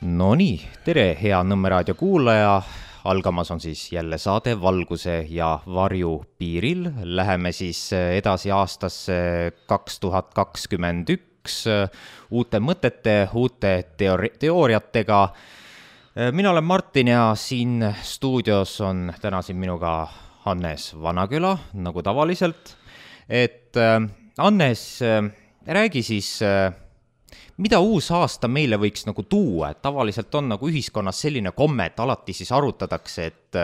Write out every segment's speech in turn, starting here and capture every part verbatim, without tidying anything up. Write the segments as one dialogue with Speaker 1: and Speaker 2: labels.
Speaker 1: No nii, tere hea Nõmme raadio kuulaja, algamas on siis jälle saade Valguse ja varju piiril. Läheme siis edasi aastasse kaks tuhat kakskümmend üks uute mõtete, uute teori- teooriatega. Mina olen Martin ja siin stuudios on täna siin minuga Hannes Vanaküla, nagu tavaliselt. Et Hannes, räägi siis, mida uus aasta meile võiks nagu tuua, et tavaliselt on nagu ühiskonnas selline komme, et alati siis arutatakse, et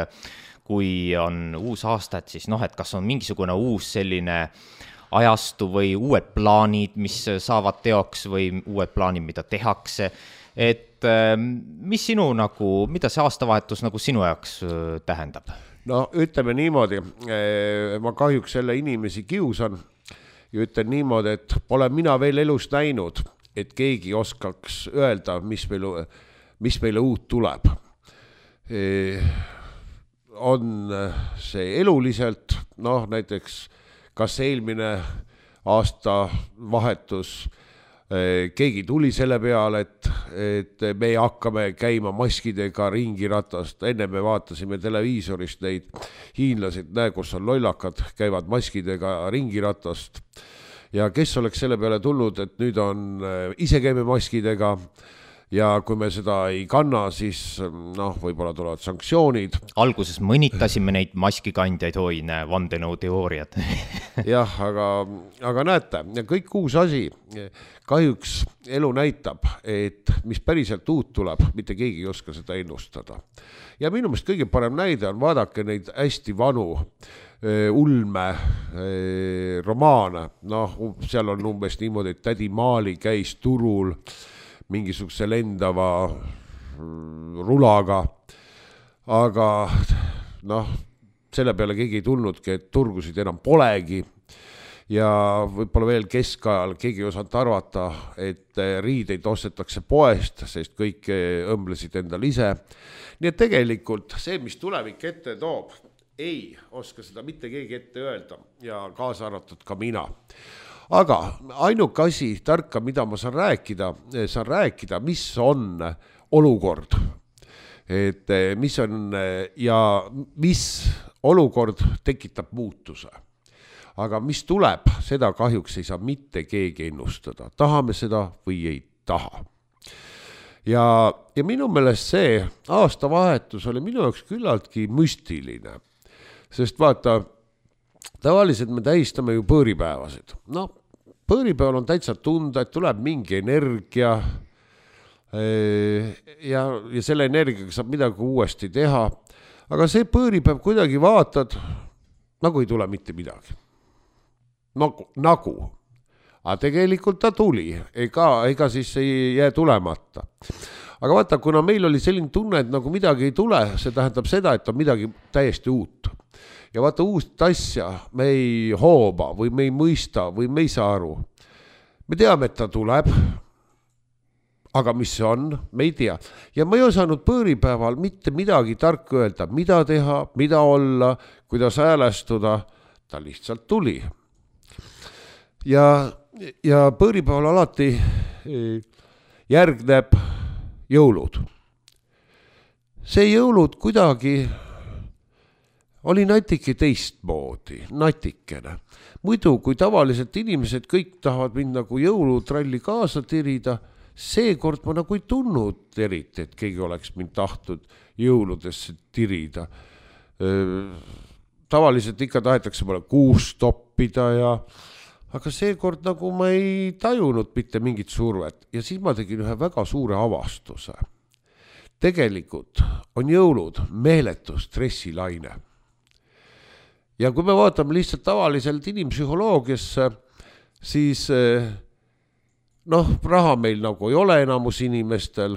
Speaker 1: kui on uus aasta, et siis noh, et kas on mingisugune uus selline ajastu või uued plaanid, mis saavad teoks või uued plaanid, mida tehakse, et mis sinu nagu, mida see aastavahetus nagu sinu jaoks tähendab?
Speaker 2: No ütleme niimoodi, ma kahjuks selle inimesi kiusan ja ütlen niimoodi, et pole mina veel elus näinud, et keegi oskaks öelda, mis meile, mis meile uut tuleb. E, on see eluliselt, noh näiteks kas eelmine aasta vahetus, e, keegi tuli selle peale, et, et me hakkame käima maskidega ringi ratast. Enne me vaatasime televiisorist neid hiinlasid, näe, kus on lollakad, käivad maskidega ringi ratast. Ja kes oleks selle peale tulnud, et nüüd on ise käime maskidega ja kui me seda ei kanna, siis noh, võib-olla tulevad sanktsioonid.
Speaker 1: Alguses mõnitasime neid maskikandjaid, oi, näe, vandenõu teooriad.
Speaker 2: Jah, aga, aga näete, kõik uus asi, kahjuks elu näitab, et mis päriselt uut tuleb, mitte keegi ei oska seda ennustada. Ja minu meelest kõige parem näide on vaadake neid hästi vanu ulme romaane, noh, seal on umbes niimoodi, et tädi Maali käis turul mingisuguse lendava rulaga, aga noh, selle peale keegi ei tulnudki, et turgusid enam polegi ja võib-olla veel keskajal keegi ei osanud arvata, et riideid ostetakse poest, sest kõik õmblesid endal ise. Nii et tegelikult see, mis tulevik ette toob, ei oska seda mitte keegi ette öelda ja kaasa arvatud ka mina. Aga ainuke asi tarka, mida ma saan rääkida, saan rääkida, mis on olukord. Et mis on ja mis olukord tekitab muutuse. Aga mis tuleb, seda kahjuks ei saa mitte keegi ennustada. Tahame seda või ei taha. Ja, ja minu meelest see aastavahetus oli minu jaoks küllaltki müstiline. Sest vaata, tavaliselt me tähistame ju põõripäevasid. No, põõripäeval on täitsa tunda, et tuleb mingi energia ja, ja selle energiaga saab midagi uuesti teha. Aga see põõripäev kuidagi vaatad, nagu ei tule mitte midagi. Nagu, nagu. Aga tegelikult ta tuli, ega, ega siis ei jää tulemata. Aga vaata, kuna meil oli selline tunne, et nagu midagi ei tule, see tähendab seda, et on midagi täiesti uut. Ja vaata uust asja me ei hooba või me ei mõista või me ei saa aru. Me teame, et ta tuleb, aga mis see on, me ei tea. Ja ma ei osanud põõripäeval mitte midagi tarka öelda, mida teha, mida olla, kuidas häälestuda, ta lihtsalt tuli. Ja, ja põõripäeval alati järgneb jõulud. See jõulud kuidagi oli natike teistmoodi, natikene. Muidu, kui tavaliselt inimesed kõik tahavad mind nagu jõulutralli kaasa tirida, seekord ma nagu ei tunnud eriti, et keegi oleks mind tahtnud jõuludesse tirida. Tavaliselt ikka tahetakse mulle kuus toppida ja aga seekord nagu ma ei tajunud mitte mingit survet ja siis ma tegin ühe väga suure avastuse. Tegelikult on jõulud meeletu stressilaine. Ja kui me vaatame lihtsalt tavaliselt inimpsühholoogiasse, siis noh, raha meil nagu ei ole enamus inimestel,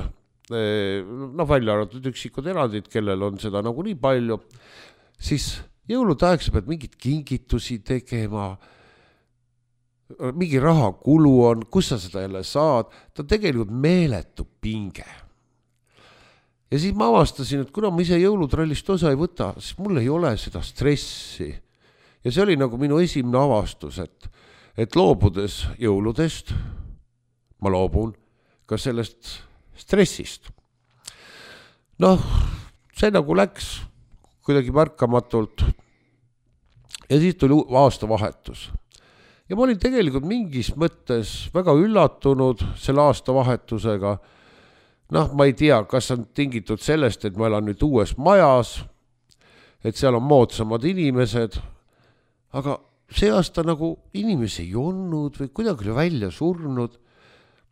Speaker 2: noh välja arvatud üksikud erandid, kellel on seda nagu nii palju, siis jõulude aeg sa pead mingit kingitusi tegema, mingi raha kulu on, kus sa seda jälle saad, ta tegelikult meeletu pinge. Ja siis ma avastasin, et kuna ma ise jõulutrallist osa ei võta, siis mul ei ole seda stressi. Ja see oli nagu minu esimene avastus, et, et loobudes jõuludest, ma loobun ka sellest stressist. noh, see nagu läks kuidagi märkamatult ja siis tuli aastavahetus. Ja ma olin tegelikult mingis mõttes väga üllatunud selle aastavahetusega. Noh, ma ei tea, kas on tingitud sellest, et ma elan nüüd uues majas, et seal on moodsamad inimesed, aga see aasta nagu inimesi ei olnud või kuidagi oli välja surnud.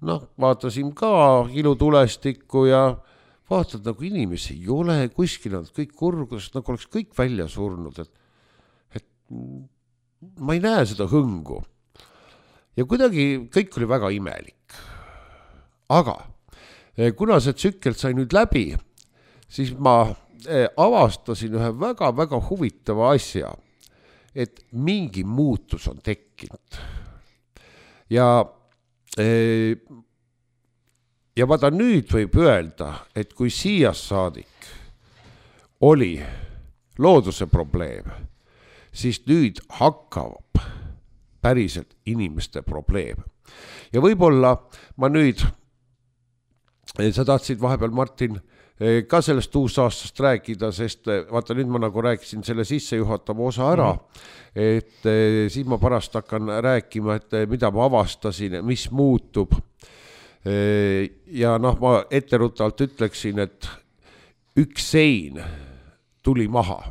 Speaker 2: Noh, vaatasin ka ilutulestikku ja vaatad, nagu inimesi ei ole, kuskil on kõik kurgus, nagu oleks kõik välja surnud, et, et ma ei näe seda hõngu. Ja kuidagi kõik oli väga imelik. Aga kuna see tsükkel sai nüüd läbi, siis ma avastasin ühe väga-väga huvitava asja, et mingi muutus on tekkinud. Ja ja vaata nüüd võib öelda, et kui siia saadik oli looduse probleem, siis nüüd hakkab päriselt inimeste probleem. Ja võib-olla ma nüüd, sa tahtsid vahepeal, Martin, ka sellest uusaastast rääkida, sest vaata nüüd ma nagu rääkisin selle sissejuhatava osa ära, et siis ma pärast hakkan rääkima, et mida ma avastasin, mis muutub. Ja noh, ma etteruttavalt ütleksin, et üks sein tuli maha.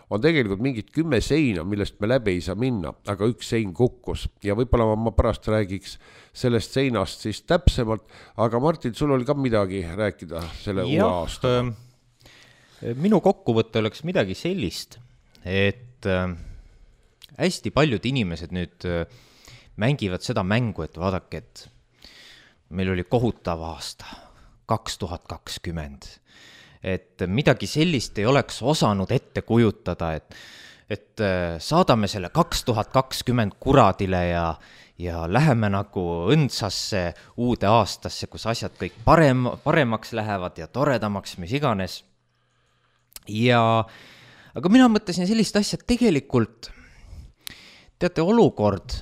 Speaker 2: On tegelikult mingid kümme seina, millest me läbi ei saa minna, aga üks sein kukkus. Ja võib-olla ma pärast räägiks sellest seinast siis täpsemalt, aga Martin, sul oli ka midagi rääkida selle
Speaker 1: ja,
Speaker 2: uue aasta.
Speaker 1: Minu kokkuvõte oleks midagi sellist, et hästi paljud inimesed nüüd mängivad seda mängu, et vaadake, et meil oli kohutav aasta, kaks tuhat kakskümmend. Et midagi sellist ei oleks osanud ette kujutada, et, et saadame selle kaks tuhat kakskümmend kuradile ja, ja läheme nagu õndsasse uude aastasse, kus asjad kõik parem, paremaks lähevad ja toredamaks, mis iganes. Ja, aga mina mõtlesin sellist asja, et tegelikult, teate, olukord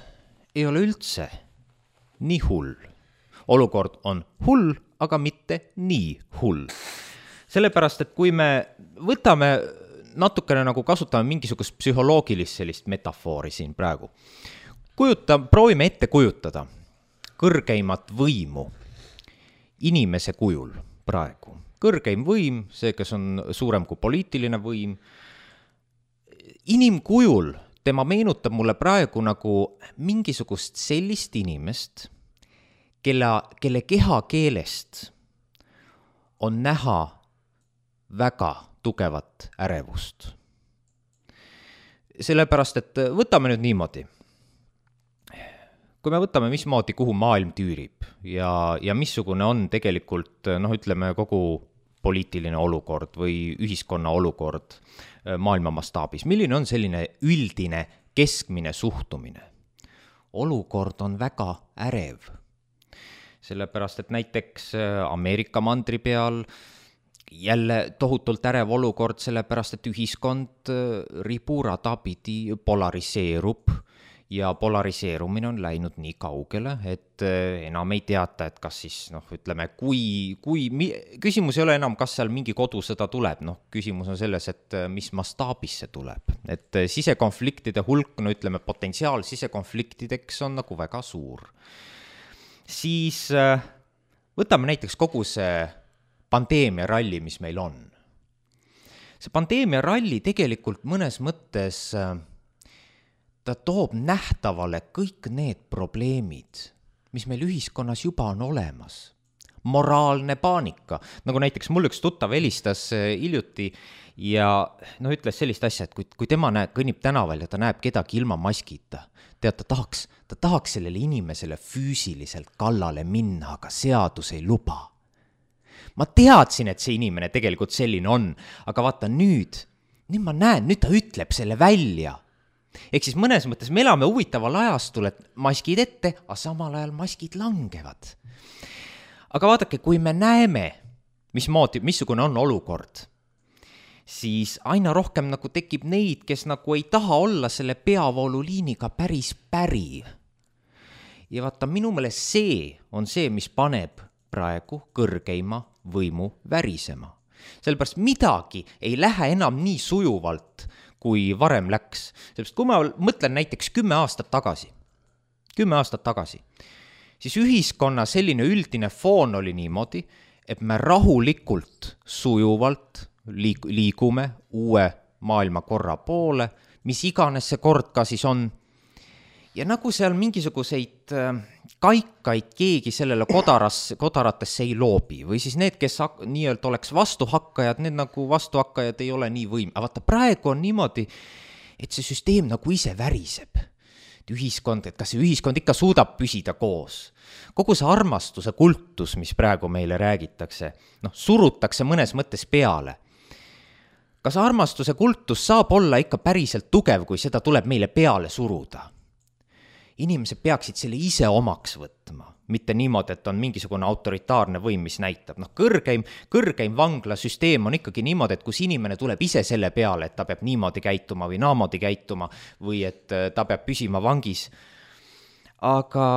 Speaker 1: ei ole üldse nii hull. Olukord on hull, aga mitte nii hull. Sellepärast, et kui me võtame natukene nagu kasutame mingisugust psühholoogilist sellist metafoori siin praegu, kujuta, proovime ette kujutada kõrgeimat võimu inimese kujul praegu. Kõrgeim võim, see, kes on suurem kui poliitiline võim, inimkujul tema meenutab mulle praegu nagu mingisugust sellist inimest, kelle, kelle kehakeelest on näha väga tugevat ärevust. Sellepärast, et võtame nüüd niimoodi. Kui me võtame mismoodi, kuhu maailm tüürib ja, ja missugune on tegelikult, noh, ütleme, kogu poliitiline olukord või ühiskonna olukord maailma mastaabis. Milline on selline üldine keskmine suhtumine? Olukord on väga ärev. Sellepärast, et näiteks Ameerika mandri peal jälle tohutult ärev olukord, sellepärast, et ühiskond riburada pidi polariseerub ja polariseerumine on läinud nii kaugele, et enam ei teata, et kas siis, noh, ütleme, kui, kui, küsimus ei ole enam, kas seal mingi kodusõda tuleb, noh, küsimus on selles, et mis mastaabis see tuleb, et sisekonfliktide hulk, no ütleme, potentsiaal sisekonfliktideks on nagu väga suur. Siis võtame näiteks kogu see pandeemia ralli, mis meil on. See pandeemia ralli tegelikult mõnes mõttes, ta toob nähtavale kõik need probleemid, mis meil ühiskonnas juba on olemas. Moraalne paanika, nagu näiteks mul üks tuttav helistas hiljuti ja no, ütles sellist asja, et kui, kui tema näeb, kõnnib tänaval ja ta näeb kedagi ilma maskita, tead, ta tahaks, ta tahaks sellele inimesele füüsiliselt kallale minna, aga seadus ei luba. Ma teadsin, et see inimene tegelikult selline on, aga vaata nüüd, nüüd ma näen, nüüd ta ütleb selle välja. Ehk siis mõnes mõttes me elame huvitaval ajastul, et maskid ette, aga samal ajal maskid langevad. Aga vaadake, kui me näeme, mismoodi, missugune on olukord, siis aina rohkem nagu tekib neid, kes nagu ei taha olla selle peavooluliiniga päris päri. Ja vaata, minu meelest see on see, mis paneb praegu kõrgeima võimu värisema. sellepärast midagi ei lähe enam nii sujuvalt, kui varem läks. Sellepärast kui ma mõtlen näiteks kümme aastat tagasi, kümme aastat tagasi, siis ühiskonna selline üldine foon oli niimoodi, et me rahulikult, sujuvalt liik- liigume uue maailmakorra poole, mis iganes see kord ka siis on. Ja nagu seal mingisuguseid kaikaid keegi sellele kodaras, kodaratesse ei loobi või siis need, kes hak- nii-öelda oleks vastuhakkajad, need nagu vastuhakkajad ei ole nii võim. Aga vaata, praegu on niimoodi, et see süsteem nagu ise väriseb. Ühiskond, et kas see ühiskond ikka suudab püsida koos. Kogu see armastuse kultus, mis praegu meile räägitakse, noh, surutakse mõnes mõttes peale. Kas armastuse kultus saab olla ikka päriselt tugev, kui seda tuleb meile peale suruda? Inimesed peaksid selle ise omaks võtma, mitte niimoodi, et on mingisugune autoritaarne võim, mis näitab. Noh, kõrgeim, kõrgeim vanglasüsteem on ikkagi niimoodi, et kus inimene tuleb ise selle peale, et ta peab niimoodi käituma või naamoodi käituma või et ta peab püsima vangis. Aga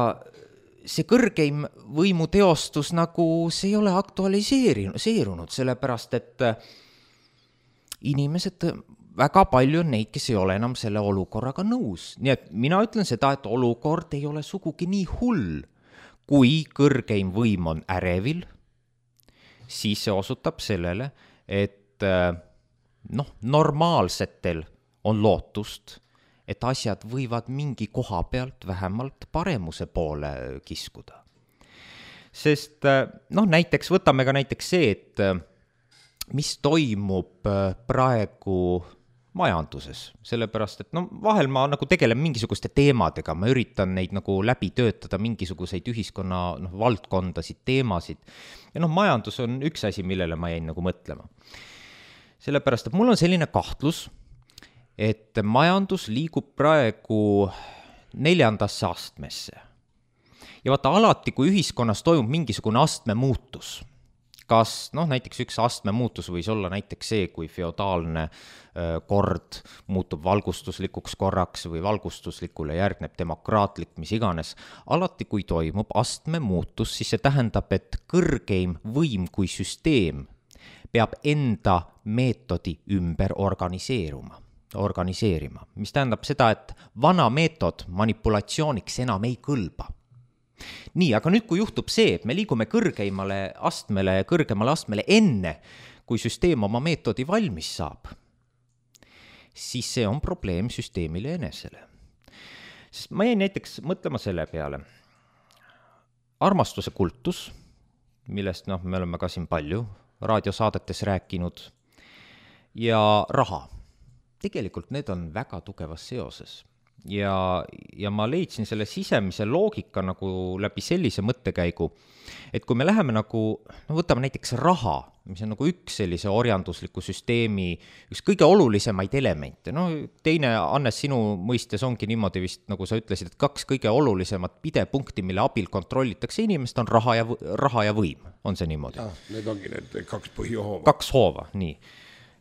Speaker 1: see kõrgeim võimu teostus nagu see ei ole aktualiseerunud, sellepärast et inimesed, väga palju on neid, kes ei ole enam selle olukorraga nõus. Nii et mina ütlen seda, et olukord ei ole sugugi nii hull. Kui kõrgeim võim on ärevil, siis see osutab sellele, et noh, normaalsetel on lootust, et asjad võivad mingi koha pealt vähemalt paremuse poole kiskuda. Sest noh, näiteks võtame ka näiteks see, et mis toimub praegu majanduses, sellepärast, et no vahel ma nagu tegelen mingisuguste teemadega, ma üritan neid nagu läbi töötada, mingisuguseid ühiskonna noh, valdkondasid, teemasid. Ja noh, majandus on üks asi, millele ma jäin nagu mõtlema. Sellepärast, et mul on selline kahtlus, et majandus liigub praegu neljandasse astmesse. Ja vaata, alati, kui ühiskonnas toimub mingisugune astme muutus, kas noh, näiteks üks astme muutus võis olla näiteks see, kui feodaalne kord muutub valgustuslikuks korraks või valgustuslikule järgneb demokraatlik, mis iganes. Alati, kui toimub astme muutus, siis see tähendab, et kõrgeim võim kui süsteem peab enda meetodi ümber organiseeruma, organiseerima, mis tähendab seda, et vana meetod manipulatsiooniks enam ei kõlba. Nii, aga nüüd, kui juhtub see, et me liigume kõrgeimale astmele, kõrgemale astmele enne, kui süsteem oma meetodi valmis saab, siis see on probleem süsteemile enesele. Sest ma jäin näiteks mõtlema selle peale. Armastuse kultus, millest noh, me oleme ka siin palju raadiosaadetes rääkinud, ja raha. Tegelikult need on väga tugevas seoses. Ja, ja ma leidsin selle sisemise loogika nagu läbi sellise mõttekäigu, et kui me läheme nagu, no võtame näiteks raha, mis on nagu üks sellise orjandusliku süsteemi, üks kõige olulisemaid elemente, no teine, Annes, sinu mõistes ongi niimoodi vist, nagu sa ütlesid, et kaks kõige olulisemat pidepunkti, mille abil kontrollitakse inimest, on raha ja, raha ja võim, on see niimoodi?
Speaker 2: Ja, need ongi need kaks põhihoova.
Speaker 1: Kaks hoova, nii.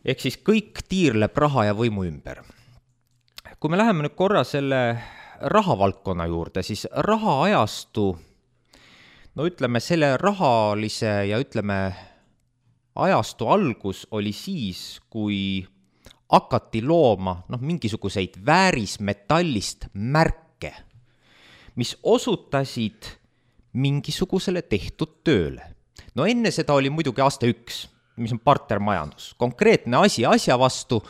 Speaker 1: Ehk siis kõik tiirleb raha ja võimu ümber. Kui me läheme nüüd korra selle rahavaldkonna juurde, siis raha ajastu, no ütleme, selle rahalise ja ütleme, ajastu algus oli siis, kui hakati looma noh, mingisuguseid väärismetallist märke, mis osutasid mingisugusele tehtud tööle. No enne seda oli muidugi aasta üks, mis on partnermajandus, konkreetne asi asja vastu,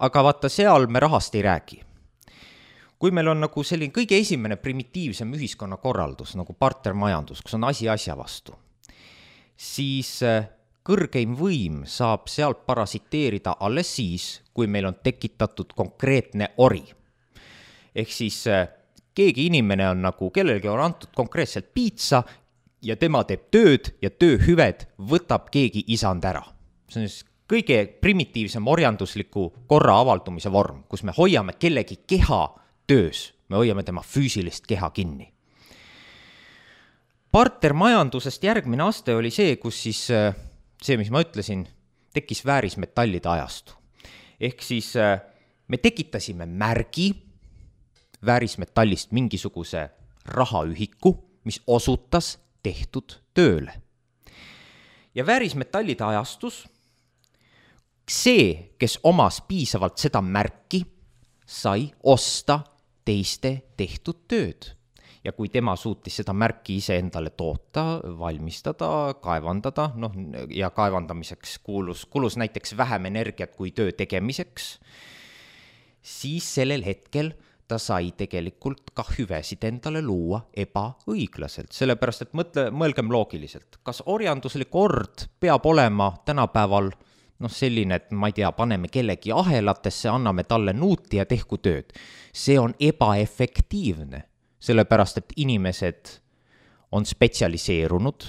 Speaker 1: aga vaata, seal me rahast ei räägi. Kui meil on nagu selline kõige esimene primitiivsem ühiskonna korraldus, nagu partnermajandus, kus on asi asja vastu, siis kõrgeim võim saab sealt parasiteerida alles siis, kui meil on tekitatud konkreetne ori. Ehk siis keegi inimene on nagu, kellelgi on antud konkreetselt piitsa ja tema teeb tööd ja tööhüved võtab keegi isand ära. See on siis kõige primitiivsem orjandusliku korra avaldumise vorm, kus me hoiame kellegi keha töös, me hoiame tema füüsilist keha kinni. Partnermajandusest järgmine aste oli see, kus siis see, mis ma ütlesin, tekkis väärismetallide ajastu. Ehk siis me tekitasime märgi väärismetallist mingisuguse rahaühiku, mis osutas tehtud tööle. Ja väärismetallide ajastus see, kes omas piisavalt seda märki, sai osta teiste tehtud tööd. Ja kui tema suutis seda märki ise endale toota, valmistada, kaevandada, noh, ja kaevandamiseks kuulus, kulus näiteks vähem energiat kui töö tegemiseks, siis sellel hetkel ta sai tegelikult ka hüvesid endale luua ebaõiglaselt. Sellepärast, et mõtle, mõelgem loogiliselt. Kas orjanduslik ord peab olema tänapäeval noh, selline, et ma ei tea, paneme kellegi ahelatesse, anname talle nuuti ja tehku tööd. See on ebaefektiivne, sellepärast, et inimesed on spetsialiseerunud,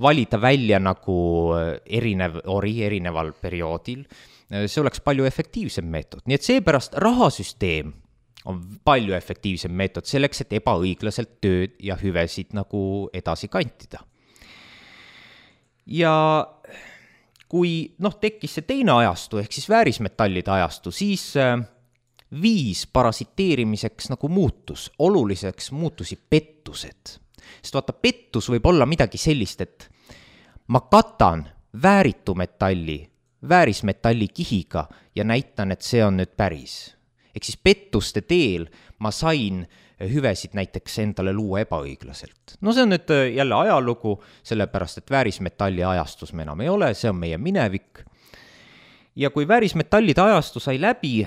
Speaker 1: valida välja nagu erinev ori erineval perioodil, see oleks palju efektiivsem meetod. Nii et seepärast rahasüsteem on palju efektiivsem meetod selleks, et ebaõiglaselt tööd ja hüvesid nagu edasi kantida. Ja kui noh, tekkis see teine ajastu, ehk siis väärismetallide ajastu, siis viis parasiteerimiseks nagu muutus, oluliseks muutusi pettused. Sest vaata, pettus võib olla midagi sellist, et ma katan vääritu metalli, väärismetalli kihiga ja näitan, et see on nüüd päris. Ehk siis pettuste teel ma sain hüvesid näiteks endale luua ebaõiglaselt. No see on nüüd jälle ajalugu, sellepärast, et väärismetalli ajastus me enam ei ole, see on meie minevik. Ja kui väärismetallide ajastu sai läbi,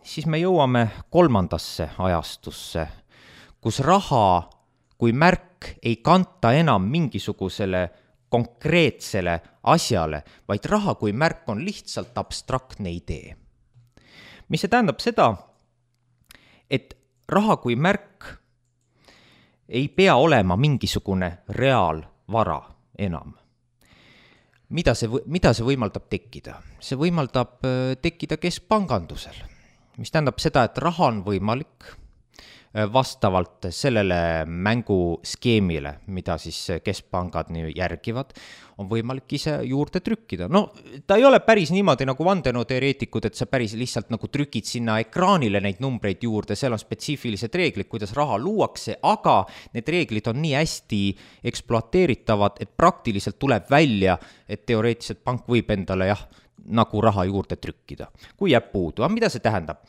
Speaker 1: siis me jõuame kolmandasse ajastusse, kus raha kui märk ei kanta enam mingisugusele konkreetsele asjale, vaid raha kui märk on lihtsalt abstraktne idee. Mis see tähendab seda, et raha kui märk ei pea olema mingisugune reaalvara enam. Mida see, mida see võimaldab tekkida? See võimaldab tekkida keskpangandusel, mis tähendab seda, et raha on võimalik vastavalt sellele mänguskeemile, mida siis keskpangad järgivad, on võimalik ise juurde trükkida. No ta ei ole päris niimoodi nagu vandenõuteoreetikud, et sa päris lihtsalt nagu trükid sinna ekraanile neid numbreid juurde, seal on spetsiifilised reeglid, kuidas raha luuakse, aga need reeglid on nii hästi ekspluateeritavad, et praktiliselt tuleb välja, et teoreetiliselt pank võib endale jah, nagu raha juurde trükkida, kui jääb puudu. Aga mida see tähendab?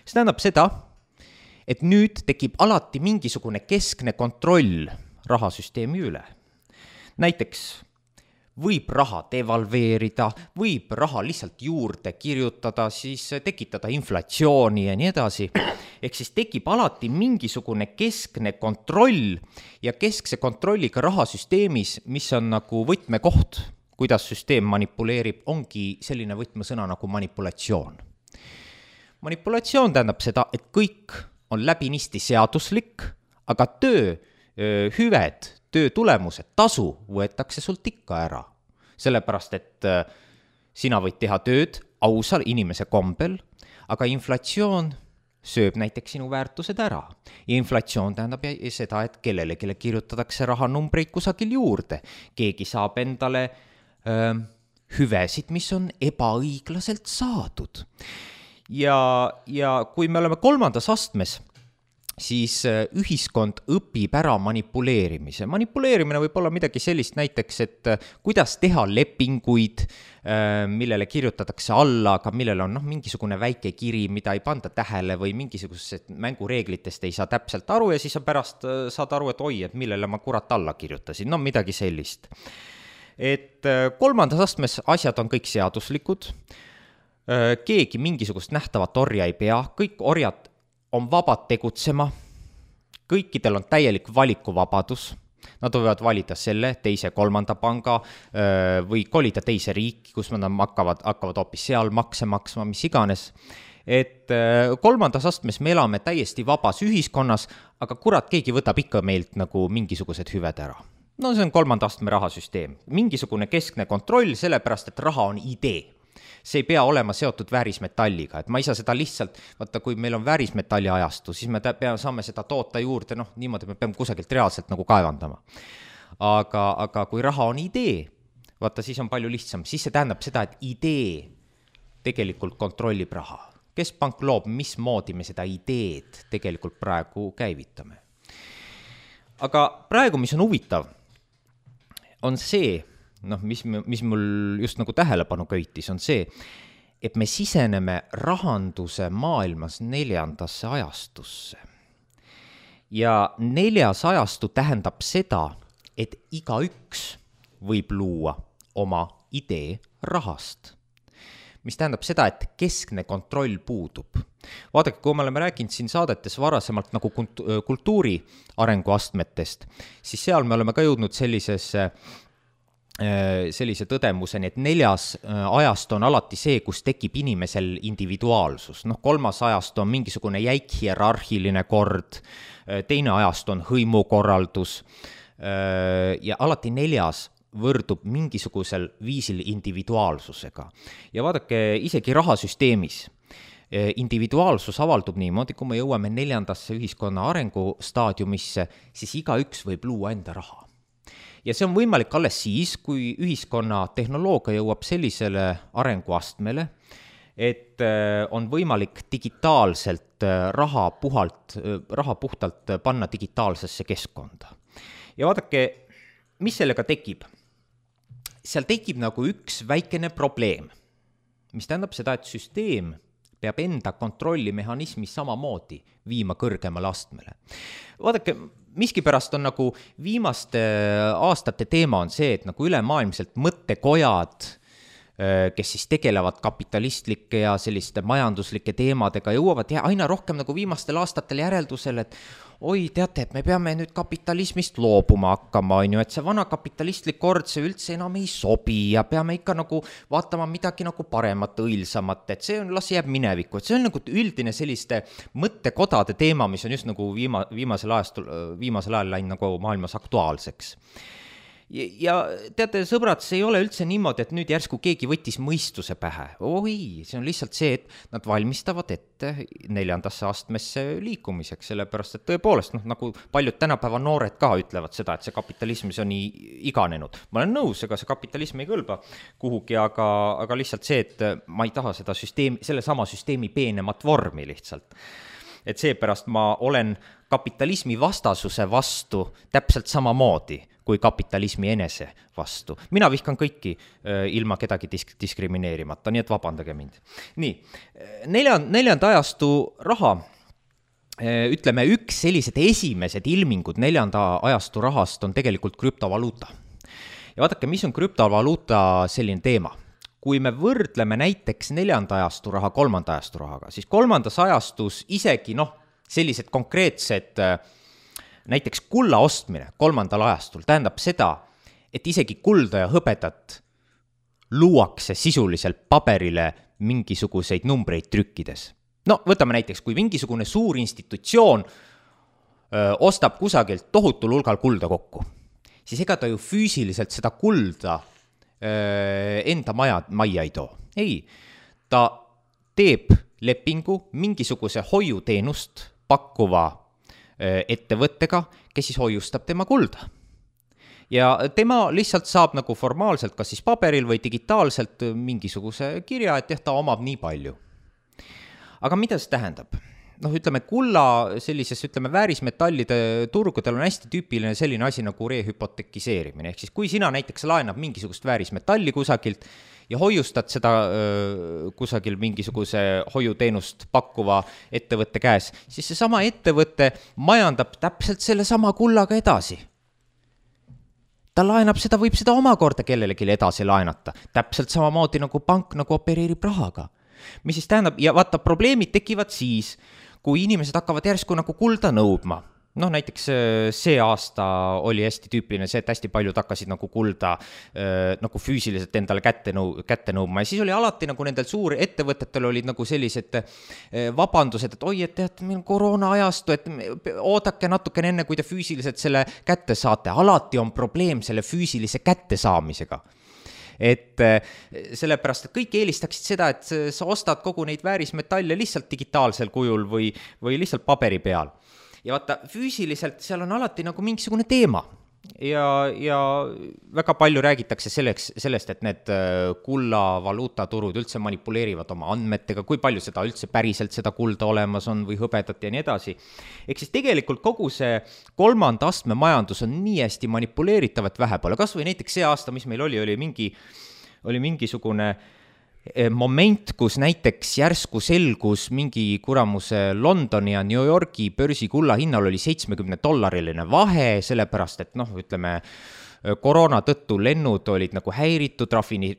Speaker 1: See tähendab seda, et nüüd tekib alati mingisugune keskne kontroll rahasüsteemi üle. Näiteks võib raha devalveerida, võib raha lihtsalt juurde kirjutada, siis tekitada inflatsiooni ja nii edasi. Ehk siis tekib alati mingisugune keskne kontroll ja keskse kontrolliga rahasüsteemis, mis on nagu võtmekoht, kuidas süsteem manipuleerib, ongi selline võtmesõna nagu manipulatsioon. Manipulatsioon tähendab seda, et kõik on läbinisti seaduslik, aga töö, hüved, töö tulemused, tasu võetakse sult ikka ära. Sellepärast, et sina võid teha tööd ausal inimese kombel, aga inflatsioon sööb näiteks sinu väärtused ära. Ja inflatsioon tähendab seda, et kellele, kelle kirjutatakse rahanumbreid kusagil juurde. Keegi saab endale öö, hüvesid, mis on ebaõiglaselt saadud. Ja, ja kui me oleme kolmandas astmes, siis ühiskond õpib ära manipuleerimise. Manipuleerimine võib olla midagi sellist näiteks, et kuidas teha lepinguid, millele kirjutatakse alla, aga millel on noh, mingisugune väike kiri, mida ei panda tähele või mingisugused mängureeglitest ei saa täpselt aru ja siis sa pärast saad aru, et oi, et millele ma kurat alla kirjutasin. No midagi sellist. Et kolmandas astmes asjad on kõik seaduslikud. Keegi mingisugust nähtavat orja ei pea, kõik orjad on vabad tegutsema, kõikidel on täielik valikuvabadus, nad võivad valida selle, teise, kolmanda panga või kolida teise riiki, kus nad hakkavad, hakkavad hoopis seal makse maksma, mis iganes. Et kolmandas astmes me elame täiesti vabas ühiskonnas, aga kurat, keegi võtab ikka meilt nagu mingisugused hüved ära. No see on kolmanda astme rahasüsteem, mingisugune keskne kontroll, sellepärast, et raha on idee. See ei pea olema seotud väärismetalliga, et ma ei saa seda lihtsalt, vaata, kui meil on väärismetalli ajastu, siis me peame, saame seda toota juurde, noh, niimoodi me peame kusagilt reaalselt nagu kaevandama. Aga, aga kui raha on idee, vaata, siis on palju lihtsam, siis see tähendab seda, et idee tegelikult kontrollib raha. Keskpank loob, mismoodi me seda ideed tegelikult praegu käivitame. Aga praegu, mis on huvitav, on see, noh, mis, mis mul just nagu tähelepanu köitis, on see, et me siseneme rahanduse maailmas neljandasse ajastusse. Ja neljas ajastu tähendab seda, et igaüks võib luua oma idee rahast. Mis tähendab seda, et keskne kontroll puudub. Vaadake, kui me oleme rääkinud siin saadetes varasemalt nagu kultuuri arenguastmetest, siis seal me oleme ka jõudnud sellisesse sellise tõdemuseni, et neljas ajast on alati see, kus tekib inimesel individuaalsus. Noh, kolmas ajast on mingisugune jäik hierarhiline kord, teine ajast on hõimukorraldus ja alati neljas võrdub mingisugusel viisil individuaalsusega. Ja vaadake, isegi rahasüsteemis individuaalsus avaldub niimoodi, kui me jõuame neljandasse ühiskonna arengustaadiumisse, siis igaüks võib luua enda raha. Ja see on võimalik alles siis, kui ühiskonna tehnoloogia jõuab sellisele arenguastmele, et on võimalik digitaalselt raha, puhalt, raha puhtalt panna digitaalsesse keskkonda. Ja vaadake, mis sellega tekib? Seal tekib nagu üks väikene probleem, mis tähendab seda, et süsteem peab enda kontrollimehhanismi samamoodi viima kõrgemale astmele. Vaadake, miskipärast on nagu viimaste aastate teema on see, et nagu ülemaailmselt mõttekojad, kes siis tegelevad kapitalistlike ja selliste majanduslike teemadega, jõuavad ja aina rohkem nagu viimastel aastatel järeldusel, et oi, teate, et me peame nüüd kapitalismist loobuma hakkama, on ju, et see vana kapitalistlik kord, see üldse enam ei sobi ja peame ikka nagu vaatama midagi nagu paremat, õilsamat, et see on, las jääb minevikku, et see on nagu üldine selliste mõttekodade teema, mis on just nagu viima, viimasel, ajastul, viimasel ajal läinud nagu maailmas aktuaalseks. Ja teate, sõbrad, see ei ole üldse niimoodi, et nüüd järsku keegi võttis mõistuse pähe. Oi, see on lihtsalt see, et nad valmistavad ette neljandasse astmesse liikumiseks, sellepärast, et tõepoolest, noh, nagu paljud tänapäeva noored ka ütlevad seda, et see kapitalism see on nii iganenud. Ma olen nõus, ega see kapitalism ei kõlba kuhugi, aga, aga lihtsalt see, et ma ei taha seda süsteemi, selle sama süsteemi peenemat vormi lihtsalt. Et seepärast ma olen kapitalismi vastasuse vastu täpselt samamoodi kui kapitalismi enese vastu. Mina vihkan kõiki ilma kedagi disk- diskrimineerimata, nii et vabandage mind. Nii, neljand, neljanda ajastu raha, ütleme, üks sellised esimesed ilmingud neljanda ajastu rahast on tegelikult krüptovaluuta. Ja vaadake, mis on krüptovaluuta selline teema? Kui me võrdleme näiteks neljanda ajastu raha kolmanda ajastu rahaga, siis kolmandas ajastus isegi noh, sellised konkreetsed näiteks kulla ostmine kolmandal ajastul tähendab seda, et isegi kulda ja hõbedat luuakse sisuliselt paberile mingisuguseid numbreid trükkides. No võtame näiteks, kui mingisugune suur institutsioon öö, ostab kusagilt tohutul hulgal kulda kokku, siis ega ta ju füüsiliselt seda kulda öö, enda maja, maja ei too. Ei, ta teeb lepingu mingisuguse hoiuteenust pakkuva ettevõttega, kes siis hoiustab tema kulda. Ja tema lihtsalt saab nagu formaalselt, kas siis paberil või digitaalselt mingisuguse kirja, et ta omab nii palju. Aga mida see tähendab? Noh, ütleme, kulla sellises, ütleme, väärismetallide turgudel on hästi tüüpiline selline asi nagu rehüpotekiseerimine. Ehk siis, kui sina näiteks laenab mingisugust väärismetalli kusagilt ja hoiustad seda öö, kusagil mingisuguse hoiuteenust pakkuva ettevõtte käes, siis see sama ettevõte majandab täpselt selle sama kullaga edasi. Ta laenab seda, võib seda omakorda kellelegi edasi laenata. Täpselt samamoodi nagu pank nagu opereerib rahaga. Mis siis tähendab, ja vaata, probleemid tekivad siis, kui inimesed hakkavad järsku nagu kulda nõudma. Noh, näiteks see aasta oli hästi tüüpiline see, et hästi paljud hakkasid nagu kulda äh, nagu füüsiliselt endale kätte, nõu, kätte nõudma. Ja siis oli alati nagu nendel suur ettevõtetel olid nagu sellised äh, vabandused, et oi, et tead, meil on koroona ajastu, et oodake natukene enne, kui te füüsiliselt selle kätte saate. Alati on probleem selle füüsilise kätte saamisega. Et sellepärast, et kõik eelistaksid seda, et sa ostad kogu neid väärismetalle lihtsalt digitaalsel kujul või, või lihtsalt paberi peal. Ja vaata, füüsiliselt seal on alati nagu mingisugune teema. ja, ja väga palju räägitakse selleks, sellest, et need kulla valuutaturud üldse manipuleerivad oma andmetega, kui palju seda üldse päriselt seda kulda olemas on või hõbedat ja nii edasi. Ehk siis tegelikult kogu see kolmanda astme majandus on nii hästi manipuleeritav, et vähe pole. Kas või näiteks see aasta, mis meil oli, oli, mingi, oli mingisugune moment, kus näiteks järsku selgus mingi kuramuse Londoni ja New Yorgi börsi kulla hinnal oli seitsmekümne dollariline vahe, sellepärast et noh, ütleme, koroona tõttu lennud olid nagu häiritud, rafini,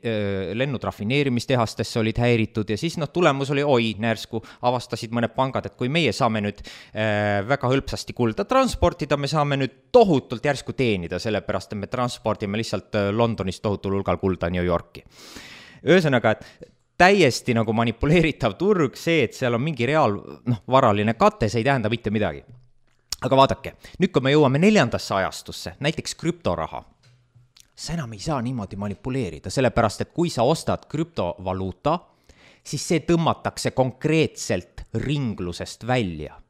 Speaker 1: lennud rafineerimistehastesse olid häiritud ja siis noh, tulemus oli, oi, närsku avastasid mõned pangad, et kui meie saame nüüd äh, väga hõlpsasti kulda transportida, me saame nüüd tohutult järsku teenida, sellepärast et me transpordime lihtsalt Londonist tohutul hulgal kulda New Yorki. Ühesõnaga, et täiesti nagu manipuleeritav turg, see, et seal on mingi reaal, noh, varaline kate, see ei tähenda mitte midagi. Aga vaadake, nüüd kui me jõuame neljandasse ajastusse, näiteks krüptoraha, sa enam ei saa niimoodi manipuleerida, sellepärast, et kui sa ostad krüptovaluuta, siis see tõmmatakse konkreetselt ringlusest välja.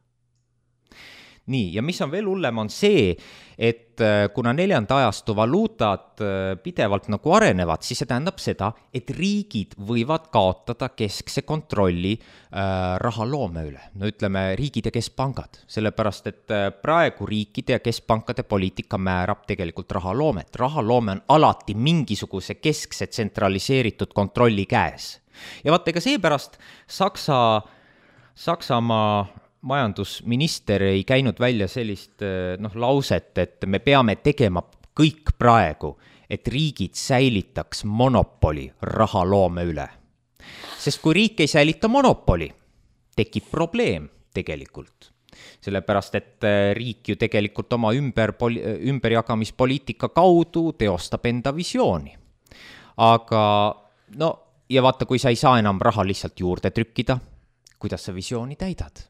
Speaker 1: Nii, ja mis on veel hullem, on see, et kuna neljanda ajastu valuutad pidevalt nagu arenevad, siis see tähendab seda, et riigid võivad kaotada keskse kontrolli äh, rahaloome üle. No ütleme, riigid ja keskpangad, sellepärast, et praegu riikide ja keskpankade poliitika määrab tegelikult rahaloomet. Rahaloome on alati mingisuguse keskse tsentraliseeritud kontrolli käes. Ja vaata, ega seepärast Saksa, Saksamaa majandusminister ei käinud välja sellist noh, lauset, et me peame tegema kõik praegu, et riigid säilitaks monopoli rahaloome üle. Sest kui riik ei säilita monopoli, tekib probleem tegelikult. Sellepärast, et riik ju tegelikult oma ümber, ümberjagamispoliitika kaudu teostab enda visiooni. Aga no, ja vaata, kui sa ei saa enam raha lihtsalt juurde trükkida, kuidas sa visiooni täidad?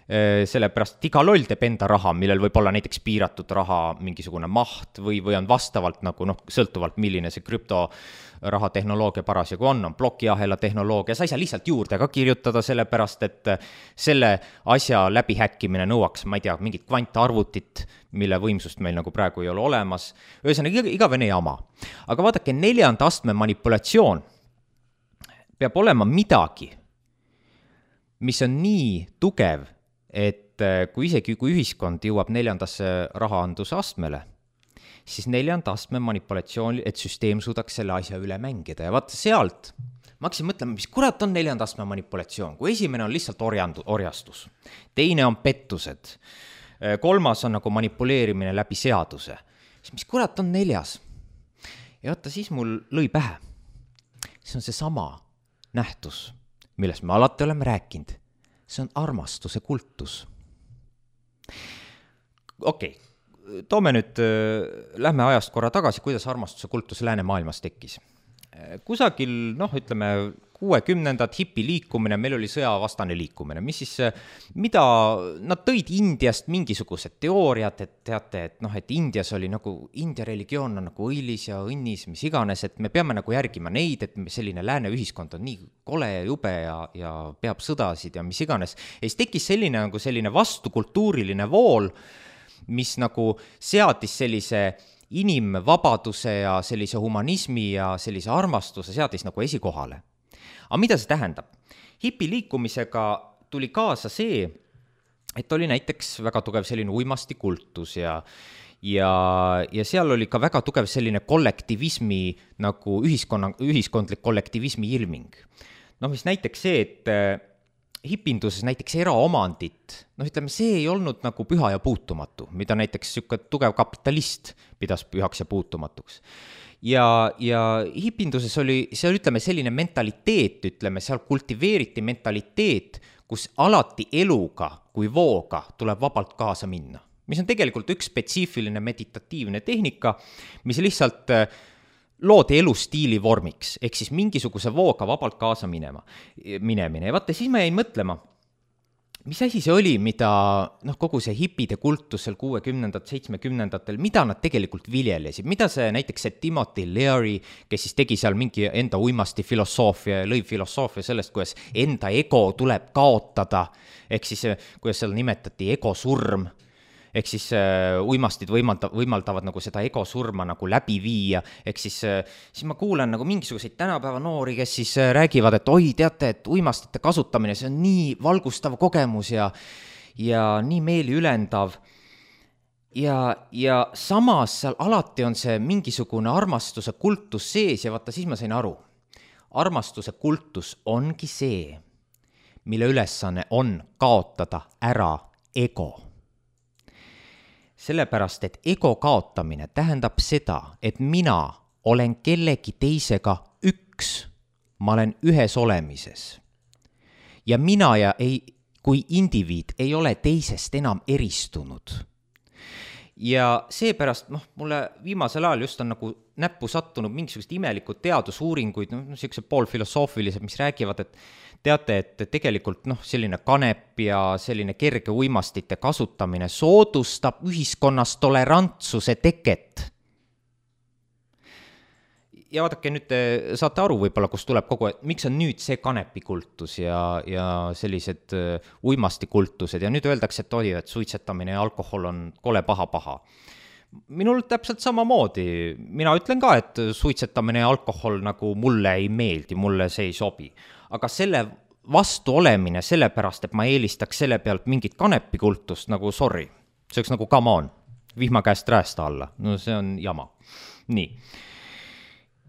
Speaker 1: Sellepärast, et iga loll teeb enda raha, millel võib olla näiteks piiratud raha mingisugune maht või, või on vastavalt nagu noh, sõltuvalt milline see krüptoraha tehnoloogia parasjagu on, on plokiahela tehnoloogia, sa ei saa lihtsalt juurde ka kirjutada, sellepärast, et selle asja läbihäkkimine nõuaks, ma ei tea, mingit kvantarvutit, mille võimsust meil nagu praegu ei ole olemas. Ühesõnaga, igavene jama. Aga vaadake, neljanda astme manipulatsioon peab olema midagi, mis on nii tugev, et kui isegi kui ühiskond jõuab neljandasse rahaanduse astmele, siis neljanda astme manipulatsioon, et süsteem suudaks selle asja üle mängida. Ja vaata sealt, ma hakkasin mõtlema, mis kurat on neljanda astme manipulatsioon, kui esimene on lihtsalt orjandu, orjastus, teine on pettused, kolmas on nagu manipuleerimine läbi seaduse, siis mis kurat on neljas? Ja vaata, siis mul lõi pähe. See on see sama nähtus, millest me alati oleme rääkinud. See on armastuse kultus. Okei, okay. Toome nüüd, lähme ajast korra tagasi, kuidas armastuse kultus läänemaailmas tekkis. Kusagil, noh, ütleme, kuuekümnendad hipi liikumine, meil oli sõjavastane liikumine, mis siis, mida nad tõid Indiast mingisugused teooriad, et teate, et noh, et Indias oli nagu, India religioon on nagu õilis ja õnnis, mis iganes, et me peame nagu järgima neid, et selline lääne ühiskond on nii kole ja jube ja, ja peab sõdasid ja mis iganes. Ja siis tekkis selline nagu selline vastukultuuriline vool, mis nagu seadis sellise inimvabaduse ja sellise humanismi ja sellise armastuse seadis nagu esikohale. Aga mida see tähendab? Hipi liikumisega tuli kaasa see, et oli näiteks väga tugev selline uimastikultus ja, ja, ja seal oli ka väga tugev selline kollektivismi, nagu ühiskonna, ühiskondlik kollektivismi ilming. No mis näiteks see, et hipinduses näiteks eraomandit, noh ütleme, see ei olnud nagu püha ja puutumatu, mida näiteks siuke tugev kapitalist pidas pühaks ja puutumatuks. Ja, ja hipinduses oli, see oli, ütleme, selline mentaliteet, ütleme, seal kultiveeriti mentaliteet, kus alati eluga kui vooga tuleb vabalt kaasa minna. Mis on tegelikult üks spetsiifiline meditatiivne tehnika, mis lihtsalt loodi elustiili vormiks, ehk siis mingisuguse vooga vabalt kaasa minema, minemine. Ja vaata, siis ma jäin mõtlema, mis asi see oli, mida noh, kogu see hipide kultus seal kuuekümnendat, seitsmekümnendatel, mida nad tegelikult viljelesid, mida see näiteks see Timothy Leary, kes siis tegi seal mingi enda uimasti filosoofia, lõi filosoofia sellest, kuidas enda ego tuleb kaotada, ehk siis kuidas seal nimetati ego surm, ehk siis äh, uimastid võimalda, võimaldavad nagu seda egosurma nagu läbi viia, ehk siis, äh, siis ma kuulen nagu mingisuguseid tänapäeva noori, kes siis äh, räägivad, et oi, teate, et uimastite kasutamine, see on nii valgustav kogemus ja, ja nii meeli ülendav. Ja, ja samas seal alati on see mingisugune armastuse kultus sees ja vaata, siis ma sain aru. Armastuse kultus ongi see, mille ülesanne on kaotada ära ego. Sellepärast, et ego kaotamine tähendab seda, et mina olen kellegi teisega üks, ma olen ühes olemises. Ja mina ja ei, kui indiviid ei ole teisest enam eristunud. Ja seepärast, noh, mulle viimasel ajal just on nagu näppu sattunud mingisugused imelikud teadusuuringuid, no sellised poolfilosoofilised, mis räägivad, et teate, et tegelikult noh, selline kanep ja selline kerge uimastite kasutamine soodustab ühiskonnas tolerantsuse teket. Ja vaadake, nüüd te saate aru võib-olla, kus tuleb kogu, et miks on nüüd see kanepikultus ja, ja sellised uimastikultused ja nüüd öeldakse, et oli, et suitsetamine ja alkohol on kole paha-paha. Minul täpselt samamoodi, mina ütlen ka, et suitsetamine ja alkohol nagu mulle ei meeldi, mulle see ei sobi. Aga selle vastu olemine sellepärast, et ma eelistaks selle pealt mingit kanepikultust nagu sorry, see oleks nagu come on, vihma käest räästa alla, no see on jama. Nii.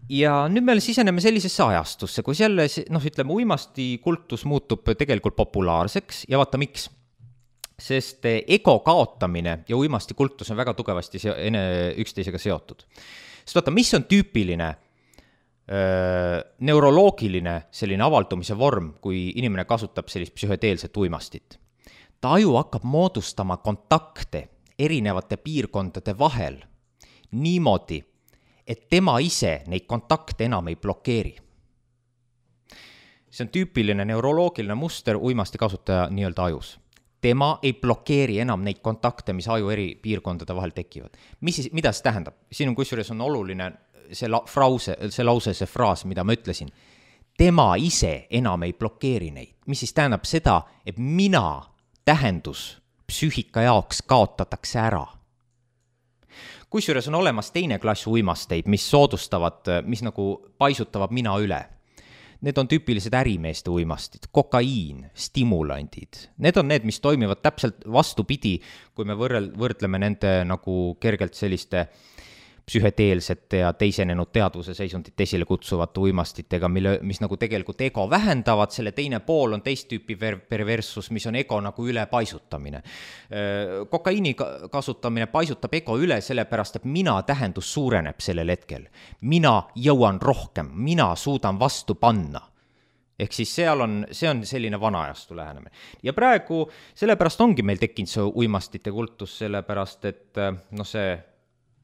Speaker 1: Ja nüüd me siseneme sellisesse ajastusse, kus jälle, noh, ütleme, uimastikultus muutub tegelikult populaarseks ja vaata miks. Sest ego kaotamine ja uimastikultus on väga tugevasti ene, üksteisega seotud. Sest vaata, mis on tüüpiline öö, neuroloogiline selline avaldumise vorm, kui inimene kasutab sellist psühhedeelset uimastit? Ta aju hakkab moodustama kontakte erinevate piirkondade vahel niimoodi, et tema ise neid kontakte enam ei blokeeri. See on tüüpiline neuroloogiline muster uimasti kasutaja nii-öelda ajus. Tema ei blokeeri enam neid kontakte, mis aju eri piirkondade vahel tekivad. Mis siis, mida see tähendab? Siin on kusjuures on oluline see, la, frause, see lause, see fraas, mida ma ütlesin. Tema ise enam ei blokeeri neid. Mis siis tähendab seda, et mina tähendus psüühika jaoks kaotatakse ära. Kusjuures on olemas teine klass uimasteid, mis soodustavad, mis nagu paisutavad mina üle. Need on tüüpilised ärimeeste uimastid, kokaiin, stimulandid. Need on need, mis toimivad täpselt vastupidi, kui me võrrel, võrdleme nende nagu kergelt selliste psühhedeelsete ja teisenenud teadvuse seisundit esile kutsuvate uimastitega, mille, mis nagu tegelikult ego vähendavad, selle teine pool on teist tüüpi perversus, mis on ego nagu üle paisutamine. Kokaiini kasutamine paisutab ego üle sellepärast, et mina tähendus suureneb sellel hetkel. Mina jõuan rohkem, mina suudan vastu panna. Ehk siis seal on, see on selline vanaajastu lähenemine. Ja praegu sellepärast ongi meil tekkinud see uimastite kultus, sellepärast et no see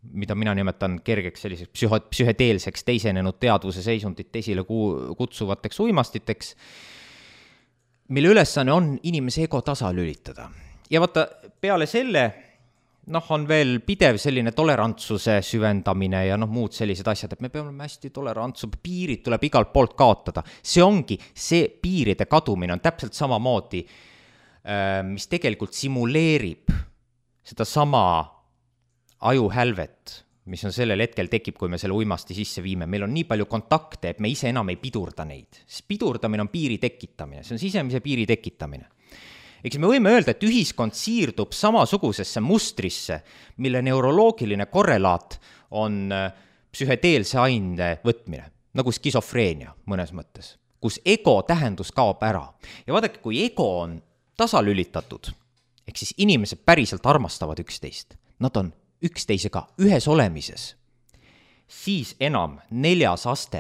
Speaker 1: mida mina nimetan kergeks selliseks psüho, psühhedeelseks teisenenud teadvuse seisundit esile kutsuvateks uimastiteks, mille ülesanne on inimese ego tasa lülitada. Ja vaata, peale selle noh, on veel pidev selline tolerantsuse süvendamine ja noh, muud sellised asjad, et me peame hästi tolerantsus, piirid tuleb igalt poolt kaotada. See ongi, see piiride kadumine on täpselt samamoodi, mis tegelikult simuleerib seda sama ajuhälvet, mis on sellel hetkel tekib, kui me selle uimasti sisse viime. Meil on nii palju kontakte, et me ise enam ei pidurda neid. Sest pidurdamine on piiri tekitamine, see on sisemise piiri tekitamine. Eks me võime öelda, et ühiskond siirdub samasugusesse mustrisse, mille neuroloogiline korrelaat on psühhedeelse aine võtmine, nagu skisofreenia mõnes mõttes, kus ego tähendus kaob ära. Ja vaadake, kui ego on tasalülitatud, ehk siis inimesed päriselt armastavad üksteist, nad on üksteisega ühes olemises, siis enam neljas aste,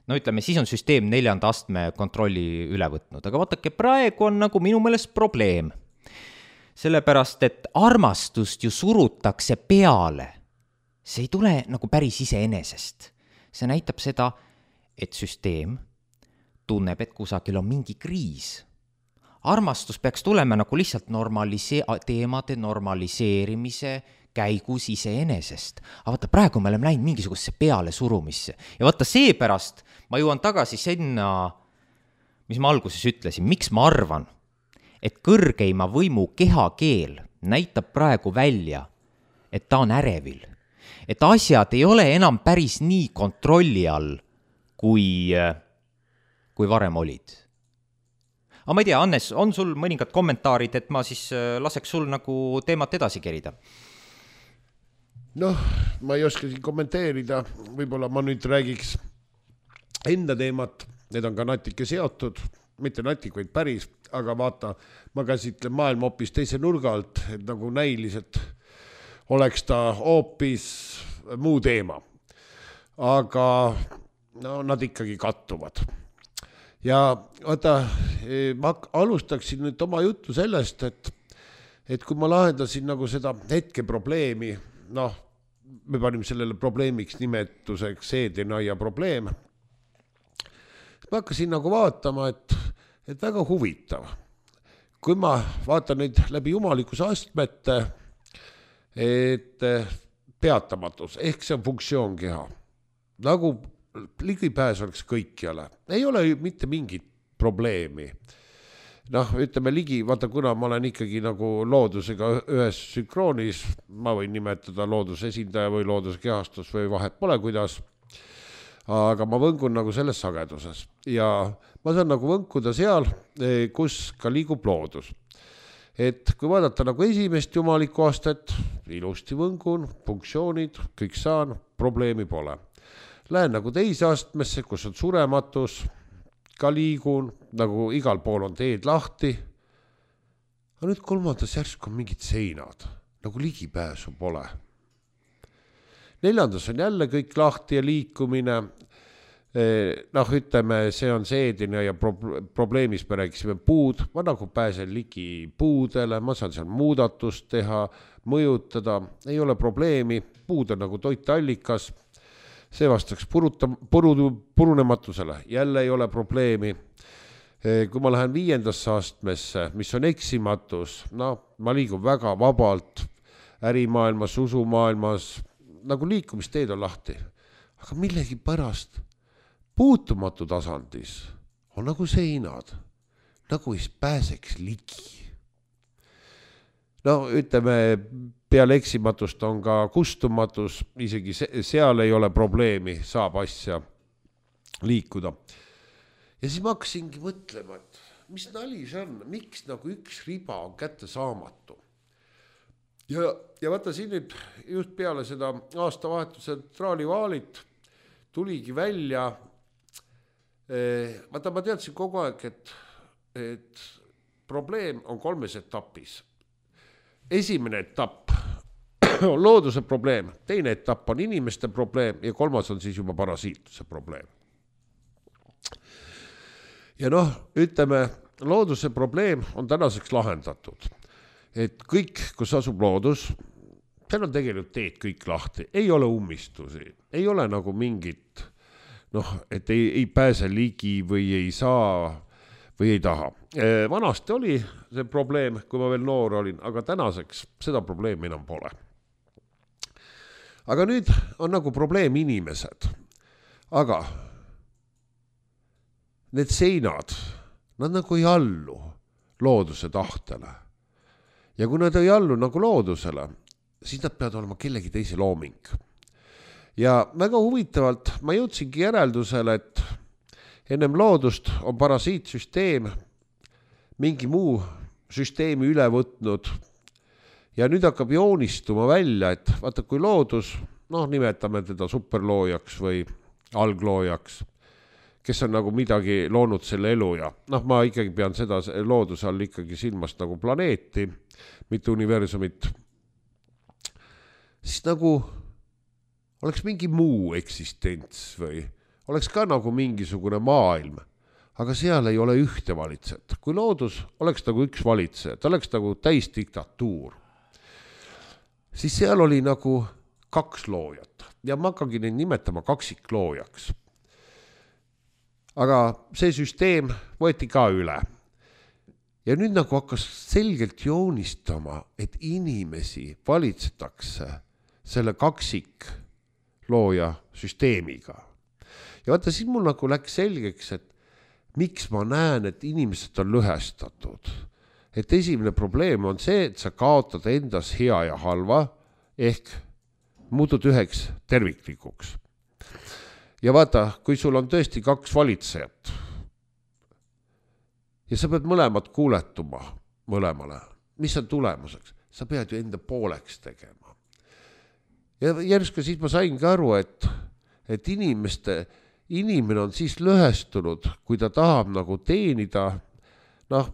Speaker 1: no ütleme, siis on süsteem neljanda astme kontrolli üle võtnud, aga vaatake, praegu on nagu minu meelest probleem, sellepärast, et armastust ju surutakse peale, see ei tule nagu päris iseenesest, see näitab seda, et süsteem tunneb, et kusagil on mingi kriis. Armastus peaks tulema nagu lihtsalt normalise- teemade normaliseerimise käigus iseenesest. Aga vaata, praegu me oleme läinud mingisugusesse peale surumisse. Ja vaata, seepärast ma jõuan tagasi sinna, mis ma alguses ütlesin, miks ma arvan, et kõrgeima võimu kehakeel näitab praegu välja, et ta on ärevil. Et asjad ei ole enam päris nii kontrolli all, kui, kui varem olid. Aga ma ei tea, Hannes, on sul mõningad kommentaarid, et ma siis laseks sul nagu teemat edasi kerida?
Speaker 2: Noh, ma ei oska siin kommenteerida, võib-olla ma nüüd räägiks enda teemat, need on ka natuke seotud, mitte natuke, vaid päris, aga vaata, ma käsitlen maailma hoopis teise nurga alt, et nagu näiliselt oleks ta hoopis muu teema. Aga no, nad ikkagi kattuvad. Ja vaata, ma alustaksin nüüd oma juttu sellest, et, et kui ma lahendasin nagu seda hetke probleemi, noh, me panime sellele probleemiks nimetuseks seedinaia probleem, ma hakkasin nagu vaatama, et, et väga huvitav. Kui ma vaatan nüüd läbi jumalikkuse astmete, et peatamatus, ehk see on funktsioonkeha, nagu ligipääs oleks kõikjale. Ei ole mitte mingit probleemi. Noh, ütleme ligi, vaata kuna ma olen ikkagi nagu loodusega ühes sünkroonis, ma võin nimetada looduse esindaja või looduse kehastus või vahet pole kuidas, aga ma võngun nagu selles sageduses ja ma saan nagu võnkuda seal, kus ka liigub loodus. Et kui vaadata nagu esimest jumalikku aastat, ilusti võngun, funktsioonid, kõik saan, probleemi pole. Lähen nagu teise astmesse, kus on surematus, ka liigun, nagu igal pool on teed lahti. Aga nüüd kolmandas järsk on mingid seinad, nagu ligipääsu pole. Neljandas on jälle kõik lahti ja liikumine. Noh, ütleme, see on seedine ja probleemis me rääkisime puud. Ma nagu pääsen ligi puudele, ma saan seal muudatust teha, mõjutada, ei ole probleemi. Puud on nagu toitallikas. See vastaks puruta, puru, purunematusele, jälle ei ole probleemi. Kui ma lähen viiendasse astmesse, mis on eksimatus, no ma liigun väga vabalt ärimaailmas, usumaailmas, nagu liikumisteed on lahti. Aga millegi pärast puutumatu tasandis on nagu seinad, nagu ei pääseks ligi. No ütleme, peale eksimatust on ka kustumatus, isegi seal ei ole probleemi, saab asja liikuda. Ja siis ma hakkasingi mõtlema, et mis nali see on, miks nagu üks riba on kätte saamatu. Ja, ja vaata siin nüüd just peale seda aastavahetuse traalivaalit tuligi välja, vaata ma teadsin kogu aeg, et, et probleem on kolmes etapis. Esimene etapp on looduse probleem, teine etapp on inimeste probleem ja kolmas on siis juba parasiituse probleem. Ja noh, ütleme, looduse probleem on tänaseks lahendatud. Et kõik, kus asub loodus, seal on tegelikult teed kõik lahti, ei ole ummistusi, ei ole nagu mingit, noh, et ei, ei pääse ligi või ei saa või ei taha. Vanasti oli see probleem, kui ma veel noor olin, aga tänaseks seda probleemi enam pole. Aga nüüd on nagu probleem inimesed. Aga need seinad, nad nagu ei allu looduse tahtele. Ja kui nad ei allu nagu loodusele, siis nad peavad olema kellegi teise looming. Ja väga huvitavalt ma jõudsingi järeldusele, et ennem loodust on parasiitsüsteem mingi muu süsteemi üle võtnud ja nüüd hakkab joonistuma välja, et vaata kui loodus, noh nimetame teda superloojaks või algloojaks, kes on nagu midagi loonud selle elu ja noh ma ikkagi pean seda looduse all ikkagi silmast nagu planeeti, mitte universumit, siis nagu oleks mingi muu eksistents või oleks ka nagu mingisugune maailm, aga seal ei ole ühte valitsejat. Kui loodus oleks nagu üks valitseja, ta oleks nagu täis diktatuur, siis seal oli nagu kaks loojat ja ma hakkangi neid nimetama kaksikloojaks. Aga see süsteem võeti ka üle. Ja nüüd nagu hakkas selgelt joonistama, et inimesi valitsetakse selle kaksiklooja süsteemiga. Ja vaata, siin mul nagu läks selgeks, et miks ma näen, et inimesed on lõhestatud. et esimene probleem on see, et sa kaotad endas hea ja halva ehk muutud üheks terviklikuks. Ja vaata, kui sul on tõesti kaks valitsejat ja sa pead mõlemad kuuletuma mõlemale, mis on tulemuseks? Sa pead ju enda pooleks tegema. Ja järsku siis ma saingi aru, et, et inimeste, inimene on siis lõhestunud, kui ta tahab nagu teenida, noh,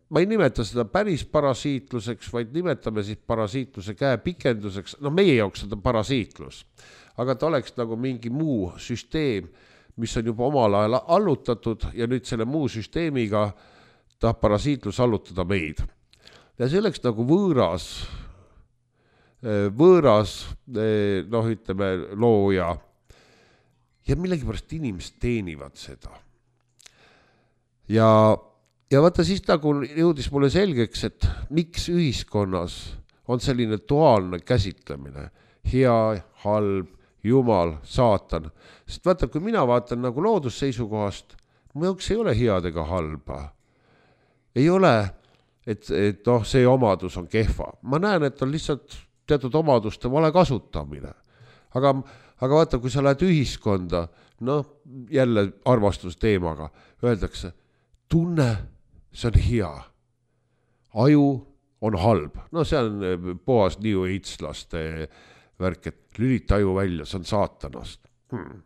Speaker 2: ma ei nimeta seda päris parasiitluseks, vaid nimetame siis parasiitluse käe pikenduseks, no meie jaoks seda parasiitlus, aga ta oleks nagu mingi muu süsteem, mis on juba omal ajal allutatud ja nüüd selle muu süsteemiga tahab parasiitlus allutada meid. Ja see oleks nagu võõras, võõras, noh ütleme, looja ja millegipärast inimesed teenivad seda. Ja Ja vaata siis nagu jõudis mulle selgeks, et miks ühiskonnas on selline duaalne käsitlemine, hea, halb, jumal, saatan. Sest vaata, kui mina vaatan nagu loodusseisukohast, mu jaoks ei ole head ega halba. Ei ole, et, et noh, see omadus on kehva. Ma näen, et on lihtsalt teatud omaduste vale kasutamine. Aga, aga vaata, kui sa lähed ühiskonda, noh, jälle armastusteemaga, öeldakse, tunne, see on hea. Aju on halb. No see on puhas New Age-laste värk, et lülita aju välja, see on saatanast. Hmm.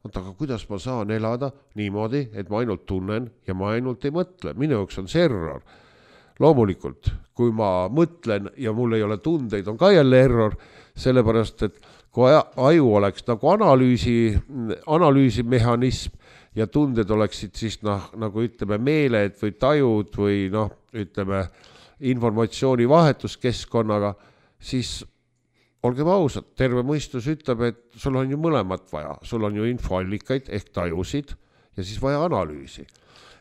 Speaker 2: Aga kuidas ma saan elada niimoodi, et ma ainult tunnen ja ma ainult ei mõtle? Minu jaoks on see error. Loomulikult, kui ma mõtlen ja mul ei ole tundeid, on ka jälle error, sellepärast, et kui aju oleks nagu analüüsi, analüüsimehhanism, ja tunded oleksid siis noh, nagu ütleme meeled või tajud või noh, ütleme informatsiooni vahetuskeskkonnaga, siis olgem ausad, terve mõistus ütleb, et sul on ju mõlemat vaja. Sul on ju infoallikaid ehk tajusid ja siis vaja analüüsi.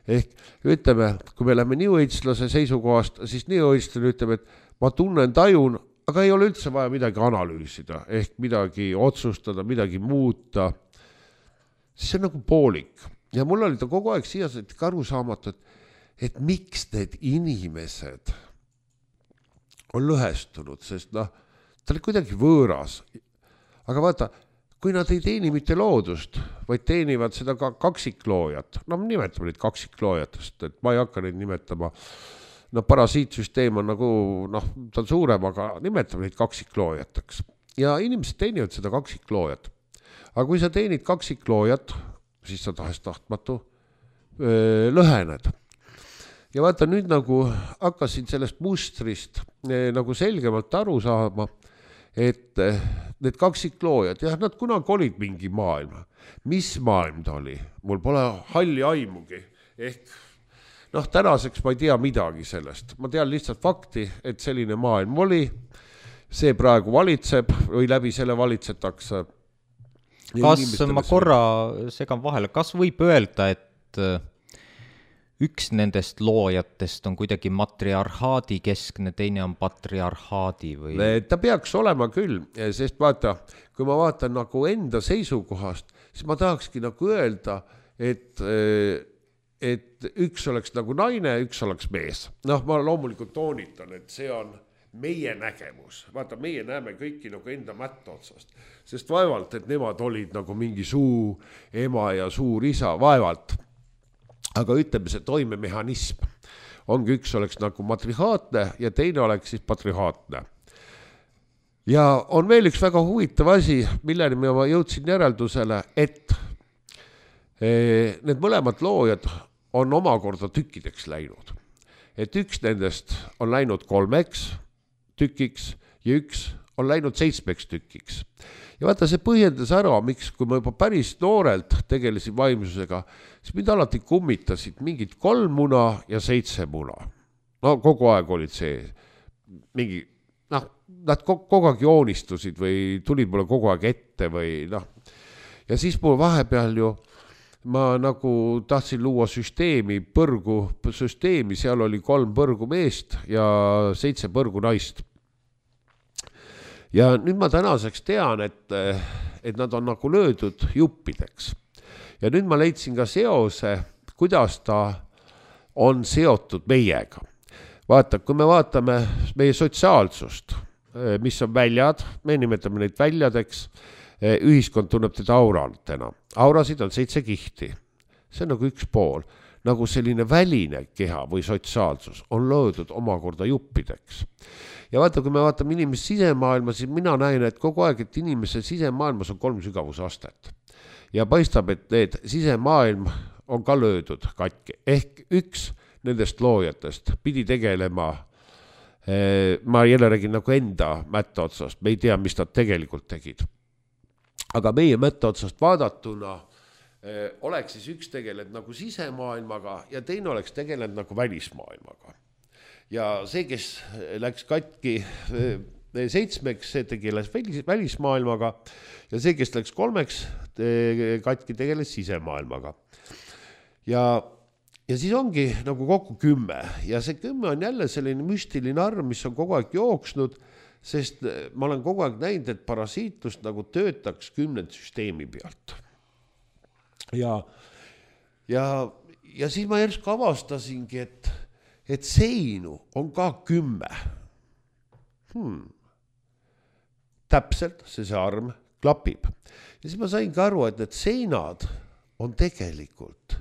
Speaker 2: Ehk ütleme, kui me läheme New Age-lase seisukohast, siis New Age-lane ütleb, et ma tunnen, tajun, aga ei ole üldse vaja midagi analüüsida ehk midagi otsustada, midagi muuta. See on nagu poolik. Ja mul oli ta kogu aeg siiased aru saamatu, et, et miks need inimesed on lõhestunud, sest noh, ta oli kuidagi võõras. Aga vaata, kui nad ei teeni mitte loodust, vaid teenivad seda ka kaksikloojat, no nimetame neid kaksikloojatest, et ma ei hakka neid nimetama, no parasiitsüsteem on nagu, noh, ta on suurem, aga nimetame neid kaksikloojateks. Ja inimesed teenivad seda kaksikloojat. Aga kui sa teenid kaksikloojat, siis sa tahast tahtmatu öö, lõhened. Ja vaata nüüd nagu hakkasin sellest mustrist öö, nagu selgemalt aru saama, et öö, need kaksikloojad, jah, nad kunagi olid mingi maailma. Mis maailm ta oli? Mul pole halli aimugi. Ehk, noh, tänaseks ma ei tea midagi sellest. Ma tean lihtsalt fakti, et selline maailm oli. See praegu valitseb või läbi selle valitsetakse.
Speaker 1: Kas ma korra segan vahele, kas võib öelda, et üks nendest loojatest on kuidagi matriarhaadi keskne, teine on patriarhaadi või?
Speaker 2: Ta peaks olema küll, sest vaata, kui ma vaatan nagu enda seisukohast, siis ma tahakski nagu öelda, et, et üks oleks nagu naine, üks oleks mees. Noh, ma loomulikult toonitan, et see on meie nägemus. Vaata, meie näeme kõiki nagu enda mätta otsast. Sest vaevalt, et nemad olid nagu mingi suu ema ja suur isa, vaevalt. Aga ütleme, see toimemehhanism ongi üks oleks nagu matrihaatne ja teine oleks siis patrihaatne. Ja on veel üks väga huvitav asi, milleni ma jõudsin järeldusele, et need mõlemad loojad on omakorda tükkideks läinud. Et üks nendest on läinud kolmeks tükiks ja üks on läinud seitsmeks tükiks. Ja vaata, see põhjendas ära, miks, kui ma juba päris noorelt tegelesin vaimsusega, siis mind alati kummitasid mingid kolm muna ja seitse muna. No kogu aeg olid see mingi, noh, nad kogu aeg joonistusid või tulid mulle kogu aeg ette või noh. Ja siis mul vahepeal ju ma nagu tahtsin luua süsteemi, põrgu süsteemi, seal oli kolm põrgu meest ja seitse põrgu naist. Ja nüüd ma tänaseks tean, et, et nad on nagu löödud juppideks. Ja nüüd ma leidsin ka seose, kuidas ta on seotud meiega. Vaata, kui me vaatame meie sotsiaalsust, mis on väljad, me nimetame neid väljadeks, ühiskond tunneb teda aurantena. Aurasid on seitse kihti. See on nagu üks pool. Nagu selline väline keha või sotsiaalsus on loodud omakorda juppideks. Ja vaata, kui me vaatame inimese sisemaailma, siis mina näen, et kogu aeg, et inimese sisemaailmas on kolm sügavusastet. Ja paistab, et need sisemaailm on ka löödud katki. Ehk üks nendest loojatest pidi tegelema, ma jälle räägin nagu enda mätta otsast, me ei tea, mis nad tegelikult tegid. Aga meie mätta otsast vaadatuna oleks siis üks tegelenud nagu sisemaailmaga ja teine oleks tegelenud nagu välismaailmaga. Ja see, kes läks katki seitsmeks, see tegeles välismaailmaga ja see, kes läks kolmeks, katki tegeles sisemaailmaga. Ja, ja siis ongi nagu kokku kümme ja see kümme on jälle selline müstiline arv, mis on kogu aeg jooksnud, sest ma olen kogu aeg näinud, et parasiitlust nagu töötaks kümnend süsteemi pealt. Ja, ja, ja siis ma järsku avastasingi, et, et seinu on ka kümme. Hmm. Täpselt see, see arm klapib. Ja siis ma sain ka aru, et need seinad on tegelikult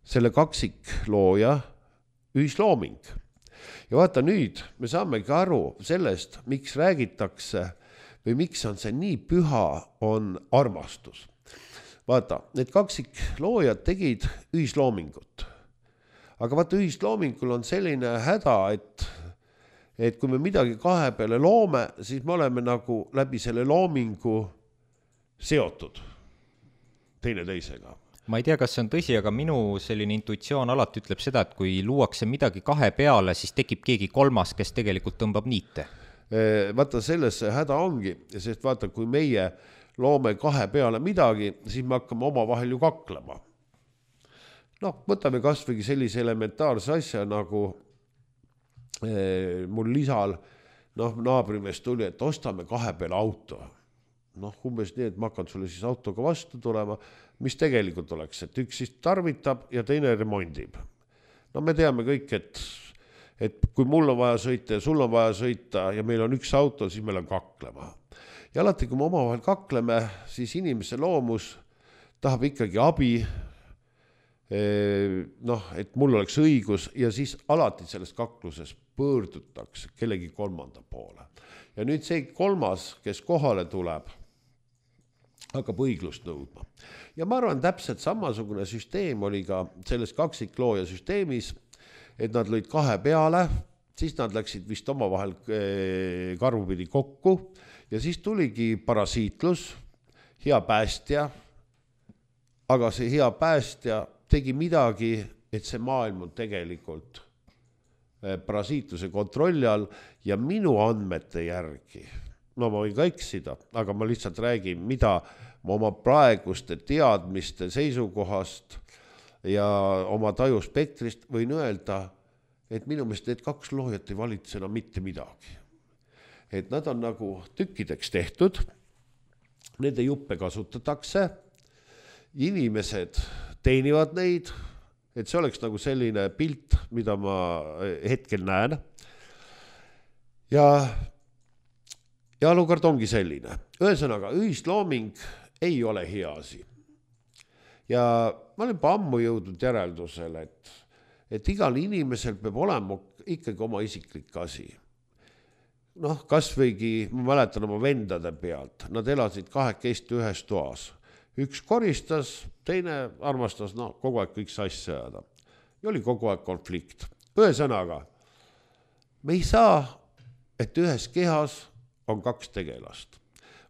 Speaker 2: selle kaksiklooja ühislooming. Ja vaata nüüd, me saamegi aru sellest, miks räägitakse või miks on see nii püha, on armastus. Vaata, need kaksikloojad tegid ühisloomingut. Aga vaata, ühisloomingul on selline häda, et, et kui me midagi kahe peale loome, siis me oleme nagu läbi selle loomingu seotud teine teisega.
Speaker 1: Ma ei tea, kas see on tõsi, aga minu selline intuitsioon alati ütleb seda, et kui luuakse midagi kahe peale, siis tekib keegi kolmas, kes tegelikult tõmbab niite.
Speaker 2: Vaata, selles see häda ongi, sest vaata, kui meie loome kahe peale midagi, siis me hakkame oma vahel ju kaklema. Noh, võtame kas või sellise elementaarse asja, nagu eh, mul lisal noh, naabrimees tuli, et ostame kahe peale auto. Noh, umbes nii, et ma hakkan sulle siis autoga vastu tulema, mis tegelikult oleks, et üks siis tarvitab ja teine remondib. No me teame kõik, et, et kui mul on vaja sõita ja sul on vaja sõita ja meil on üks auto, siis meil on kaklema. Ja alati, kui me omavahel kakleme, siis inimese loomus tahab ikkagi abi, noh, et mul oleks õigus ja siis alati selles kakluses pöördutakse kellegi kolmanda poole. Ja nüüd see kolmas, kes kohale tuleb, hakkab õiglust nõudma. Ja ma arvan, täpselt samasugune süsteem oli ka selles kaksiklooja süsteemis, et nad lõid kahe peale, siis nad läksid vist omavahel karvupidi kokku ja siis tuligi parasiitlus, hea päästja, aga see hea päästja tegi midagi, et see maailm on tegelikult parasiitluse kontrolli all ja minu andmete järgi, no ma võin ka eksida, aga ma lihtsalt räägin, mida ma oma praeguste teadmiste seisukohast ja oma tajuspektrist võin öelda, et minu meelest need kaks loojat ei valitse enam mitte midagi. Et nad on nagu tükkideks tehtud, nende juppe kasutatakse, inimesed teenivad neid, et see oleks nagu selline pilt, mida ma hetkel näen. Ja, ja olukord ongi selline. Ühesõnaga, ühislooming ei ole hea asi. Ja ma olen juba ammu jõudnud järeldusele, et, et igal inimesel peab olema ikkagi oma isiklik asi. Noh, kas võigi, ma mäletan oma vendade pealt, nad elasid kahekesti ühes toas. Üks koristas, teine armastas, no kogu aeg kõik sassi ajada. Ja oli kogu aeg konflikt. Ühesõnaga, me ei saa, et ühes kehas on kaks tegelast.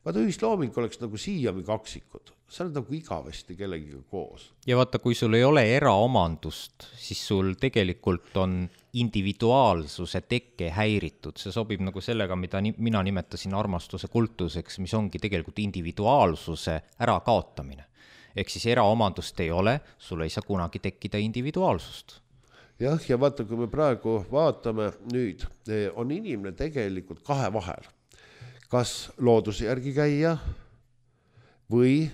Speaker 2: Vaata, ühislooming oleks nagu siiami kaksikud. Sa oled nagu igavesti kellegiga koos.
Speaker 1: Ja vaata, kui sul ei ole eraomandust, siis sul tegelikult on individuaalsuse tekke häiritud. See sobib nagu sellega, mida mina nimetasin armastuse kultuseks, mis ongi tegelikult individuaalsuse ära kaotamine. Ehk siis eraomandust ei ole, sul ei saa kunagi tekkida individuaalsust.
Speaker 2: Jah, ja vaata, kui me praegu vaatame nüüd, on inimene tegelikult kahe vahel. Kas looduse järgi käia või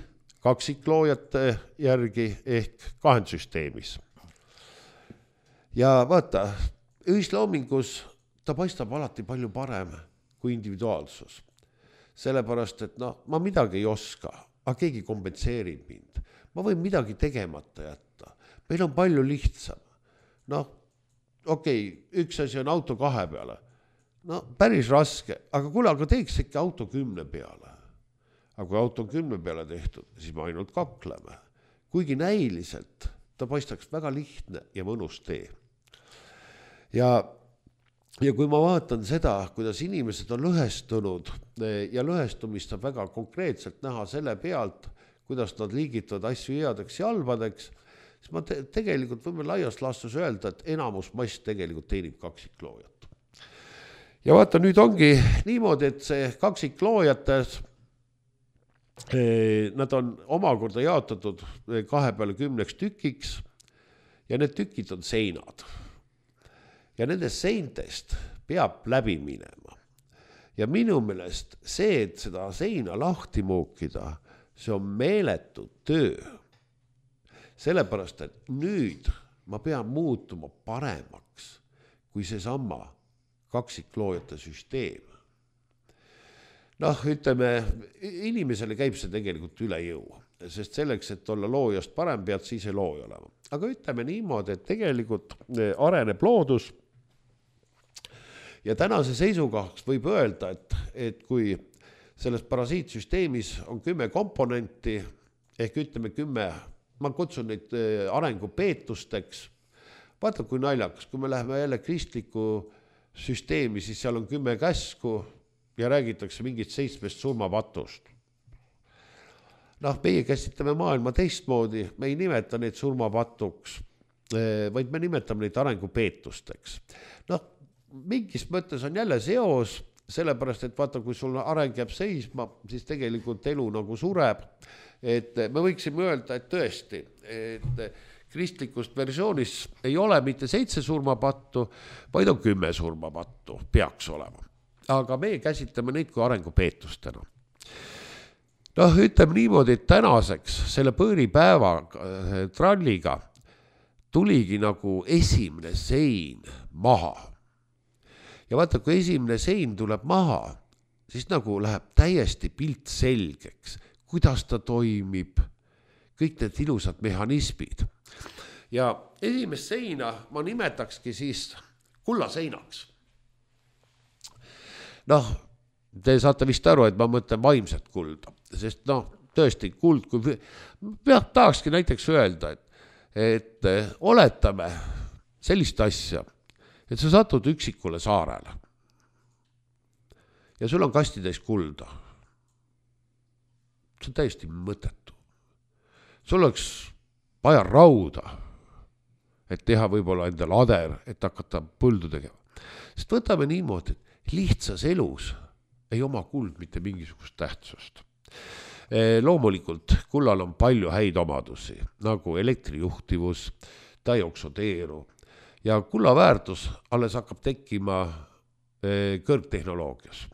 Speaker 2: kaksikloojate järgi ehk kahendsüsteemis. ja vaata, ühisloomingus ta paistab alati palju parem kui individuaalsus. Sellepärast, et no, ma midagi ei oska, aga keegi kompenseerib mind. Ma võin midagi tegemata jätta. Meil on palju lihtsam. Noh, okei, okay, üks asi on auto kahe peale. No päris raske, aga kuule, aga teeks ikka auto kümne peale. Aga kui auto on kümne peale tehtud, siis me ainult kakleme. Kuigi näiliselt ta paistaks väga lihtne ja mõnus tee. Ja, ja kui ma vaatan seda, kuidas inimesed on lõhestunud ja lõhestumist saab väga konkreetselt näha selle pealt, kuidas nad liigitavad asju headeks ja halvadeks, siis ma te- tegelikult võime laias laastus öelda, et enamus mass tegelikult teenib kaksikloojat. Ja vaata, nüüd ongi niimoodi, et see kaksikloojad, nad on omakorda jaotatud kahe peale kümneks tükiks ja need tükid on seinad. Ja nendest seintest peab läbi minema. Ja minu meelest see, et seda seina lahti muukida, see on meeletu töö. Sellepärast, et nüüd ma pean muutuma paremaks kui see sama kaksikloojate süsteem. Noh, ütleme, inimesele käib see tegelikult üle jõu, sest selleks, et olla loojast parem, pead siis ei looja olema. Aga ütleme niimoodi, et tegelikult areneb loodus ja tänase seisukohaks võib öelda, et, et kui selles parasiitsüsteemis on kümme komponenti, ehk ütleme kümme, ma kutsun neid arengupeetusteks, vaata kui naljakas, kui me läheme jälle kristliku süsteemi, siis seal on kümme käsku ja räägitakse mingit seitsmest surmapatust. Noh, meie käsitame maailma teistmoodi, me ei nimeta neid surmapatuks, vaid me nimetame neid arengupeetusteks. Noh, mingis mõttes on jälle seos, sellepärast, et vaata, kui sul areng jääb seisma, siis tegelikult elu nagu sureb. Et me võiksime öelda, et tõesti, et kristlikust versioonis ei ole mitte seitse surmapattu, vaid on kümme surmapattu, peaks olema. Aga meie käsitame neid kui arengupeetustena. Noh, ütleme niimoodi, et tänaseks selle põõripäeva tralliga tuligi nagu esimene sein maha. Ja vaata, kui esimene sein tuleb maha, siis nagu läheb täiesti pilt selgeks, kuidas ta toimib, kõik need ilusad mehhanismid. Ja esimest seina ma nimetakski siis kullaseinaks. Noh, te saate vist aru, et ma mõtlen vaimset kulda, sest noh, tõesti kuld, kui peab tahakski näiteks öelda, et, et oletame sellist asja, et sa satud üksikule saarele ja sul on kastitäis kulda. See on täiesti mõttetu. Sul oleks vaja rauda, et teha võib-olla endal ader, et hakata põldu tegema. Sest võtame niimoodi, et lihtsas elus ei oma kuld mitte mingisugust tähtsust. Loomulikult kullal on palju häid omadusi, nagu elektrijuhtivus, ta ei oksodeeru ja kulla väärtus alles hakkab tekkima kõrgtehnoloogias.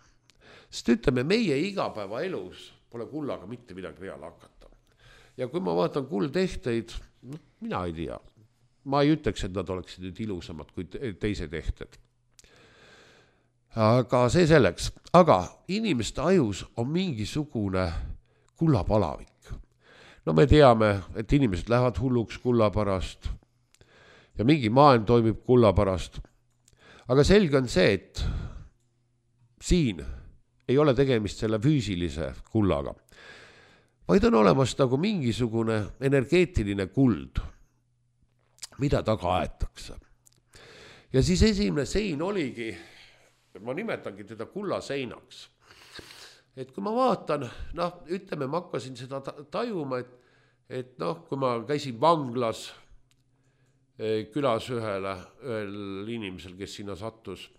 Speaker 2: Sest ütleme, meie igapäeva elus pole kullaga mitte midagi peale hakata. Ja kui ma vaatan kuldtehteid, no, mina ei tea. Ma ei ütleks, et nad oleksid nüüd ilusamad kui teised tehted. Aga see selleks. Aga inimeste ajus on mingisugune kullapalavik. No me teame, et inimesed lähevad hulluks kulla pärast ja mingi maailm toimib kulla pärast. Aga selge on see, et siin ei ole tegemist selle füüsilise kullaga, vaid on olemas nagu mingisugune energeetiline kuld, mida taga aetakse. Ja siis esimene sein oligi, ma nimetangi teda kullaseinaks. Et kui ma vaatan, noh, ütleme, ma hakkasin seda tajuma, et, et noh, kui ma käisin vanglas külas ühele, ühel inimesel, kes sinna sattus,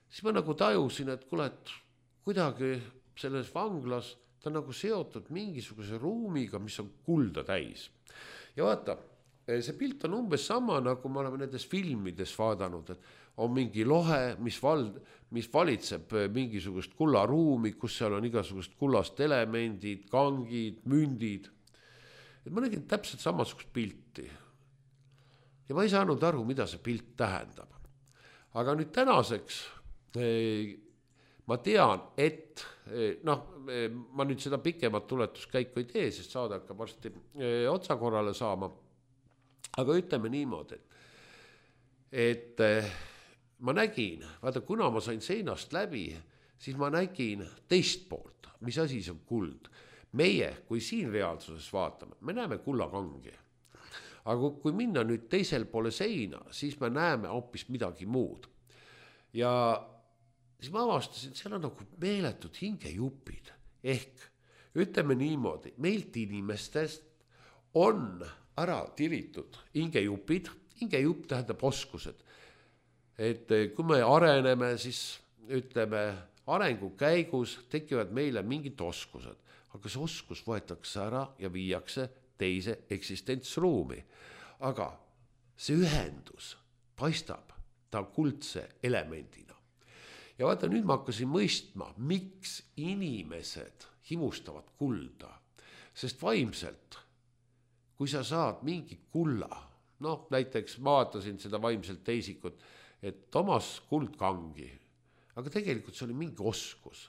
Speaker 2: siis ma nagu tajusin, et kuule, et kuidagi selles vanglas ta nagu seotud mingisuguse ruumiga, mis on kulda täis. Ja vaata, see pilt on umbes sama, nagu me oleme nendes filmides vaadanud, et on mingi lohe, mis, val, mis valitseb mingisugust kullaruumi, kus seal on igasugust kullast elemendid, kangid, mündid. Et ma nägin täpselt samasugust pilti. ja ma ei saanud aru, mida see pilt tähendab. Aga nüüd tänaseks ma tean, et noh, ma nüüd seda pikemat tuletuskäiku ei tee, sest saada hakkab varsti otsa korrale saama. Aga ütleme niimoodi, et, et ma nägin, vaata, kuna ma sain seinast läbi, siis ma nägin teist poolt, mis asi see on kuld. Meie, kui siin reaalsuses vaatame, me näeme kullakangi. Aga kui minna nüüd teisel poole seina, siis me näeme hoopis midagi muud. Ja siis ma avastasin, et seal on nagu meeletud hingejupid. Ehk ütleme niimoodi, meilt inimestest on ära tiritud hingejupid. Hingejupp tähendab oskused. Et kui me areneme, siis ütleme, arengu käigus tekivad meile mingid oskused. Aga see oskus võetakse ära ja viiakse teise eksistentsruumi. Aga see ühendus paistab ta kuldse elemendina. Ja vaata, nüüd ma hakkasin mõistma, miks inimesed himustavad kulda. Sest vaimselt, kui sa saad mingi kulla, noh, näiteks ma vaatasin seda vaimselt teisikut, et Tomas kuldkangi, aga tegelikult see oli mingi oskus.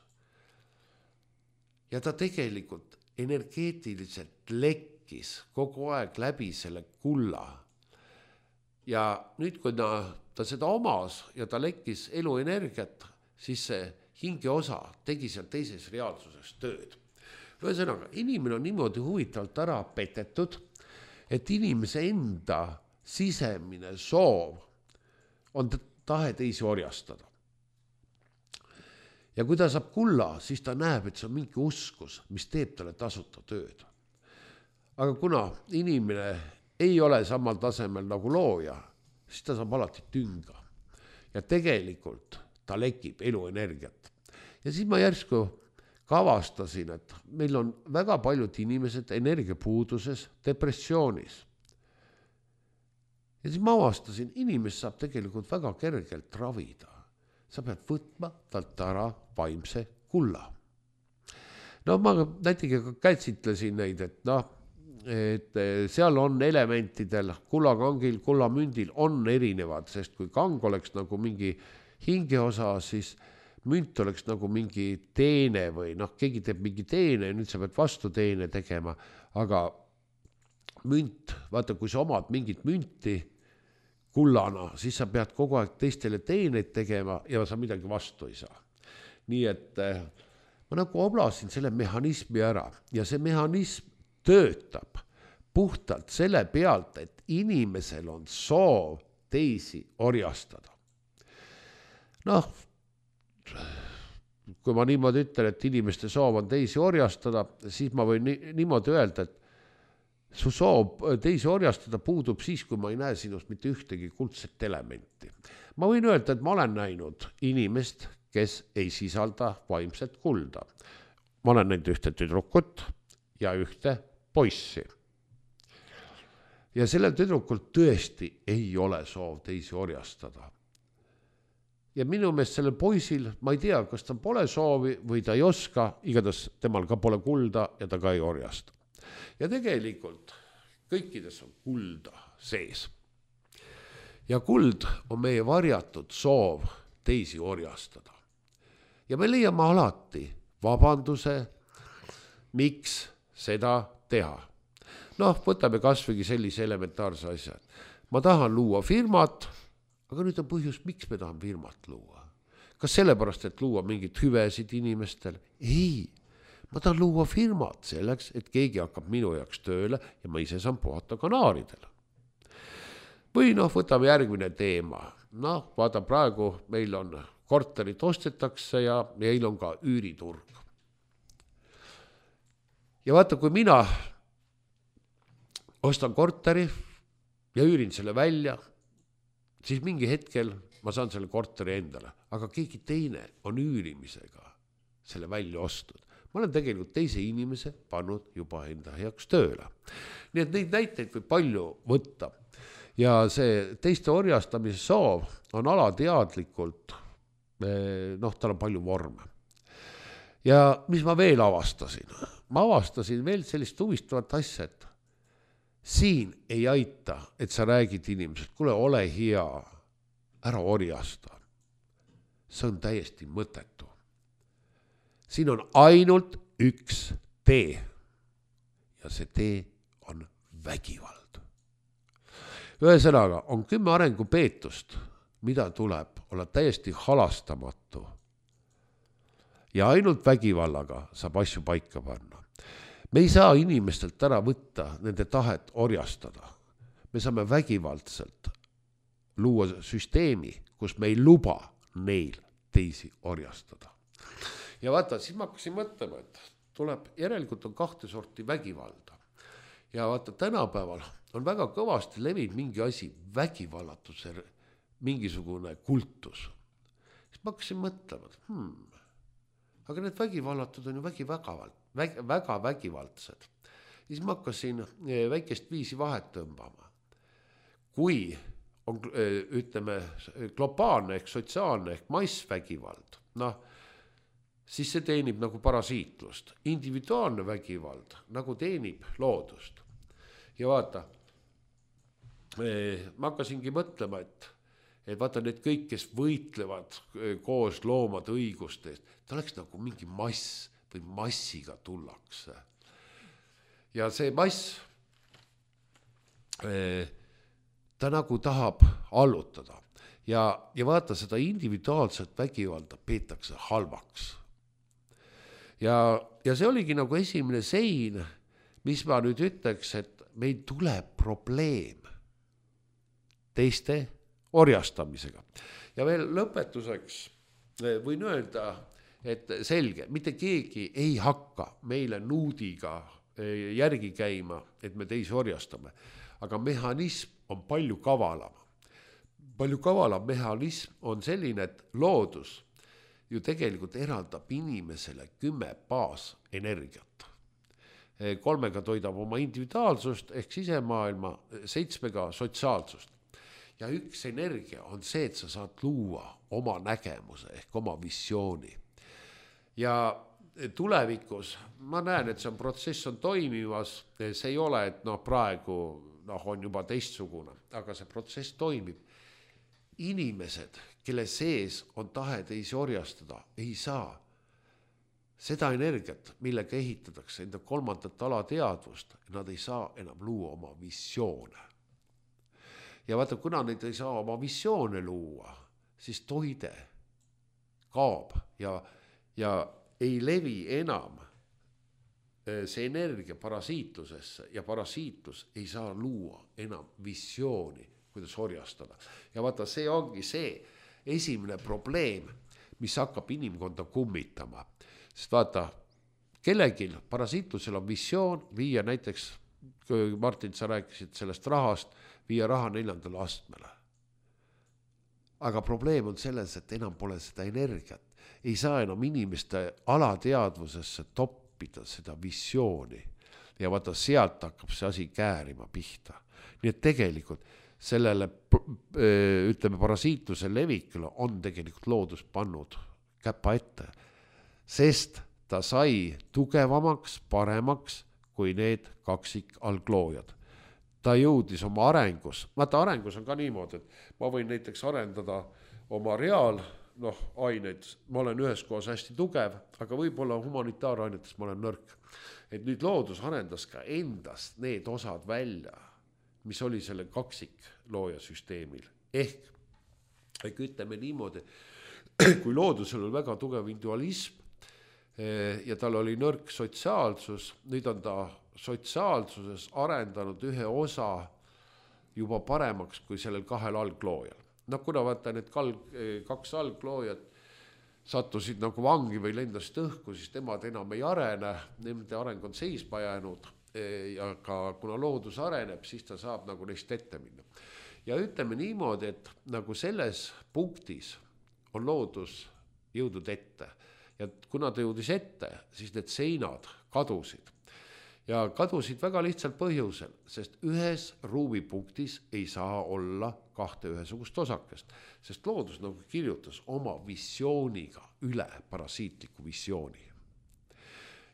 Speaker 2: Ja ta tegelikult energeetiliselt lekkis kogu aeg läbi selle kulla. Ja nüüd, kui ta, ta seda omas ja ta lekkis eluenergiat, siis see hinge osa tegi seal teises reaalsuses tööd. Ühesõnaga, inimene on niimoodi huvitavalt ära petetud, et inimese enda sisemine soov on tahe teisi orjastada. Ja kui ta saab kulla, siis ta näeb, et see on mingi uskus, mis teeb talle tasuta tööd. Aga kuna inimene ei ole samal tasemel nagu looja, siis ta saab alati tünga. Ja tegelikult ta lekib eluenergiat. Ja siis ma järsku kavastasin, et meil on väga paljud inimesed energiapuuduses, depressioonis. Ja siis ma avastasin, inimest saab tegelikult väga kergelt ravida. Sa pead võtma talt ära vaimse kulla. No ma näitega kätsitlesin neid, et noh, et seal on elementidel, kullakangil, kullamündil on erinevad, sest kui kang oleks nagu mingi hingeosa, siis münt oleks nagu mingi teene või noh, keegi teeb mingi teene ja nüüd sa pead vastu teene tegema, aga münt, vaata, kui sa omad mingit münti kullana, siis sa pead kogu aeg teistele teeneid tegema ja sa midagi vastu ei saa. Nii et ma nagu oblasin selle mehhanismi ära ja see mehhanism töötab puhtalt selle pealt, et inimesel on soov teisi orjastada. Noh, kui ma niimoodi ütlen, et inimeste soov on teisi orjastada, siis ma võin niimoodi öelda, et su soov teisi orjastada puudub siis, kui ma ei näe sinust mitte ühtegi kuldset elementi. Ma võin öelda, et ma olen näinud inimest, kes ei sisalda vaimset kulda. Ma olen näinud ühte tüdrukut ja ühte poissi. Ja sellel tüdrukult tõesti ei ole soov teisi orjastada. Ja minu meelest sellel poisil, ma ei tea, kas ta pole soovi või ta ei oska, igatahes temal ka pole kulda ja ta ka ei orjasta. Ja tegelikult kõikides on kulda sees. Ja kuld on meie varjatud soov teisi orjastada. Ja me leiame alati vabanduse, miks seda teha. Noh, võtame kasvõi sellise elementaarse asja. Ma tahan luua firmat, aga nüüd on põhjus, miks me tahan firmat luua. Kas sellepärast, et luua mingit hüvesid inimestel? Ei, ma tahan luua firmat selleks, et keegi hakkab minu jaoks tööle ja ma ise saan puhata kanaaridel. Või noh, võtame järgmine teema. Noh, vaata, praegu meil on korterit ostetakse ja meil on ka üüriturg. Ja vaata, kui mina ostan korteri ja üürin selle välja, siis mingi hetkel ma saan selle korteri endale, aga keegi teine on üürimisega selle välja ostud. Ma olen tegelikult teise inimese pannud juba enda heaks tööle. Nii et neid näiteid võib palju võtta. Ja see teiste orjastamise soov on alateadlikult, noh, tal on palju vorme. Ja mis ma veel avastasin? Ma avastasin veel sellist huvistavat asja, et siin ei aita, et sa räägid inimesed, kuule, ole hea, ära orjasta. See on täiesti mõttetu. Siin on ainult üks tee ja see tee on vägivald. Ühesõnaga on kümme arengupeetust, mida tuleb olla täiesti halastamatu ja ainult vägivallaga saab asju paika panna. Me ei saa inimestelt ära võtta nende tahet orjastada. Me saame vägivaldselt luua süsteemi, kus me ei luba neil teisi orjastada. Ja vaata, siis ma hakkasin mõtlema, et tuleb, järelikult on kahte sorti vägivalda. Ja vaata, tänapäeval on väga kõvasti levinud mingi asi, vägivallatuse mingisugune kultus. Siis ma hakkasin mõtlema, et hmm, aga need vägivallatud on ju vägi vägavalt, väg, väga vägivaldsed. Siis ma hakkasin väikest viisi vahet tõmbama. Kui on, ütleme, globaalne ehk sotsiaalne ehk massvägivald, noh, siis see teenib nagu parasiitlust. Individuaalne vägivald nagu teenib loodust. Ja vaata, ma hakkasingi mõtlema, et, et vaata need kõik, kes võitlevad koos loomade õigustest, ta oleks nagu mingi mass või massiga tullakse. Ja see mass, ta nagu tahab allutada. Ja, ja vaata, seda individuaalset vägivalda peetakse halvaks. Ja, ja see oligi nagu esimene sein, mis ma nüüd ütleks, et meil tuleb probleem teiste orjastamisega. Ja veel lõpetuseks võin öelda, et selge, mitte keegi ei hakka meile nuudiga järgi käima, et me teisi orjastame. Aga mehhanism on palju kavalam. Palju kavalam mehhanism on selline, et loodus ju tegelikult eraldab inimesele kümme baas energiat. Kolmega toidab oma individuaalsust ehk sisemaailma, seitsmega sotsiaalsust. Ja üks energia on see, et sa saad luua oma nägemuse ehk oma visiooni. Ja tulevikus, ma näen, et see on protsess on toimivas, see ei ole, et no praegu no, on juba teistsugune, aga see protsess toimib. Inimesed, kelle sees on tahe teisi orjastada, ei saa seda energiat, millega ehitatakse enda kolmandat alateadvust, nad ei saa enam luua oma visioone. Ja vaata, kuna neid ei saa oma visioone luua, siis toide kaob ja, ja ei levi enam see energia parasiitlusesse ja parasiitlus ei saa luua enam visiooni, kuidas orjastada. Ja vaata, see ongi see esimene probleem, mis hakkab inimkonda kummitama. Sest vaata, kellelgi parasiitlusel on visioon viia näiteks, kui Martin, sa rääkisid sellest rahast, viia raha neljandale astmele. Aga probleem on selles, et enam pole seda energiat. Ei saa enam inimeste alateadvusesse toppida seda visiooni. Ja vaata, sealt hakkab see asi käärima pihta. Nii et tegelikult sellele, ütleme, parasiitluse levikule on tegelikult loodus pannud käpa ette, sest ta sai tugevamaks, paremaks kui need kaksik algloojad. Ta jõudis oma arengus, vaata arengus on ka niimoodi, et ma võin näiteks arendada oma reaal, noh, aineid, ma olen ühes kohas hästi tugev, aga võib-olla humanitaarainetes ma olen nõrk. Et nüüd loodus arendas ka endast need osad välja, mis oli selle kaksik looja süsteemil. Ehk, ehk ütleme niimoodi, kui loodusel oli väga tugev individualism ja tal oli nõrk sotsiaalsus, nüüd on ta sotsiaalsuses arendanud ühe osa juba paremaks kui sellel kahel algloojal. No kuna vaata need kaks algloojat sattusid nagu vangi või lendasid õhku, siis temad enam ei arene, nende areng on seisma jäänud. Ja ka kuna loodus areneb, siis ta saab nagu neist ette minna. Ja ütleme niimoodi, et nagu selles punktis on loodus jõudnud ette. Ja kuna ta jõudis ette, siis need seinad kadusid. Ja kadusid väga lihtsalt põhjusel, sest ühes ruumipunktis ei saa olla kahte ühesugust osakest. Sest loodus nagu kirjutas oma visiooniga üle parasiitliku visiooni.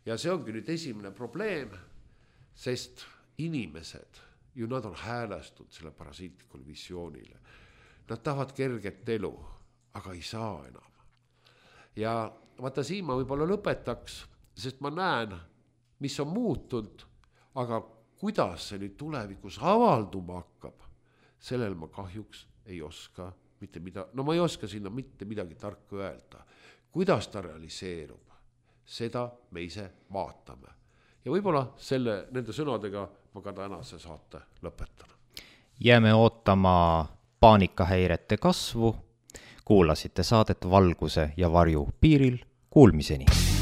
Speaker 2: Ja see ongi nüüd esimene probleem, sest inimesed ju nad on häälestunud selle parasiitlikule visioonile. Nad tahavad kerget elu, aga ei saa enam. Ja vaata siin ma võib-olla lõpetaks, sest ma näen, mis on muutunud, aga kuidas see nüüd tulevikus avalduma hakkab, sellel ma kahjuks ei oska mitte mida, no ma ei oska sinna mitte midagi tarka öelda. Kuidas ta realiseerub, seda me ise vaatame. Ja võib-olla selle, nende sõnadega ma ka tänase saate lõpetan.
Speaker 1: Jääme ootama paanikahäirete kasvu. Kuulasite saadet Valguse ja varju piiril. Kuulmiseni!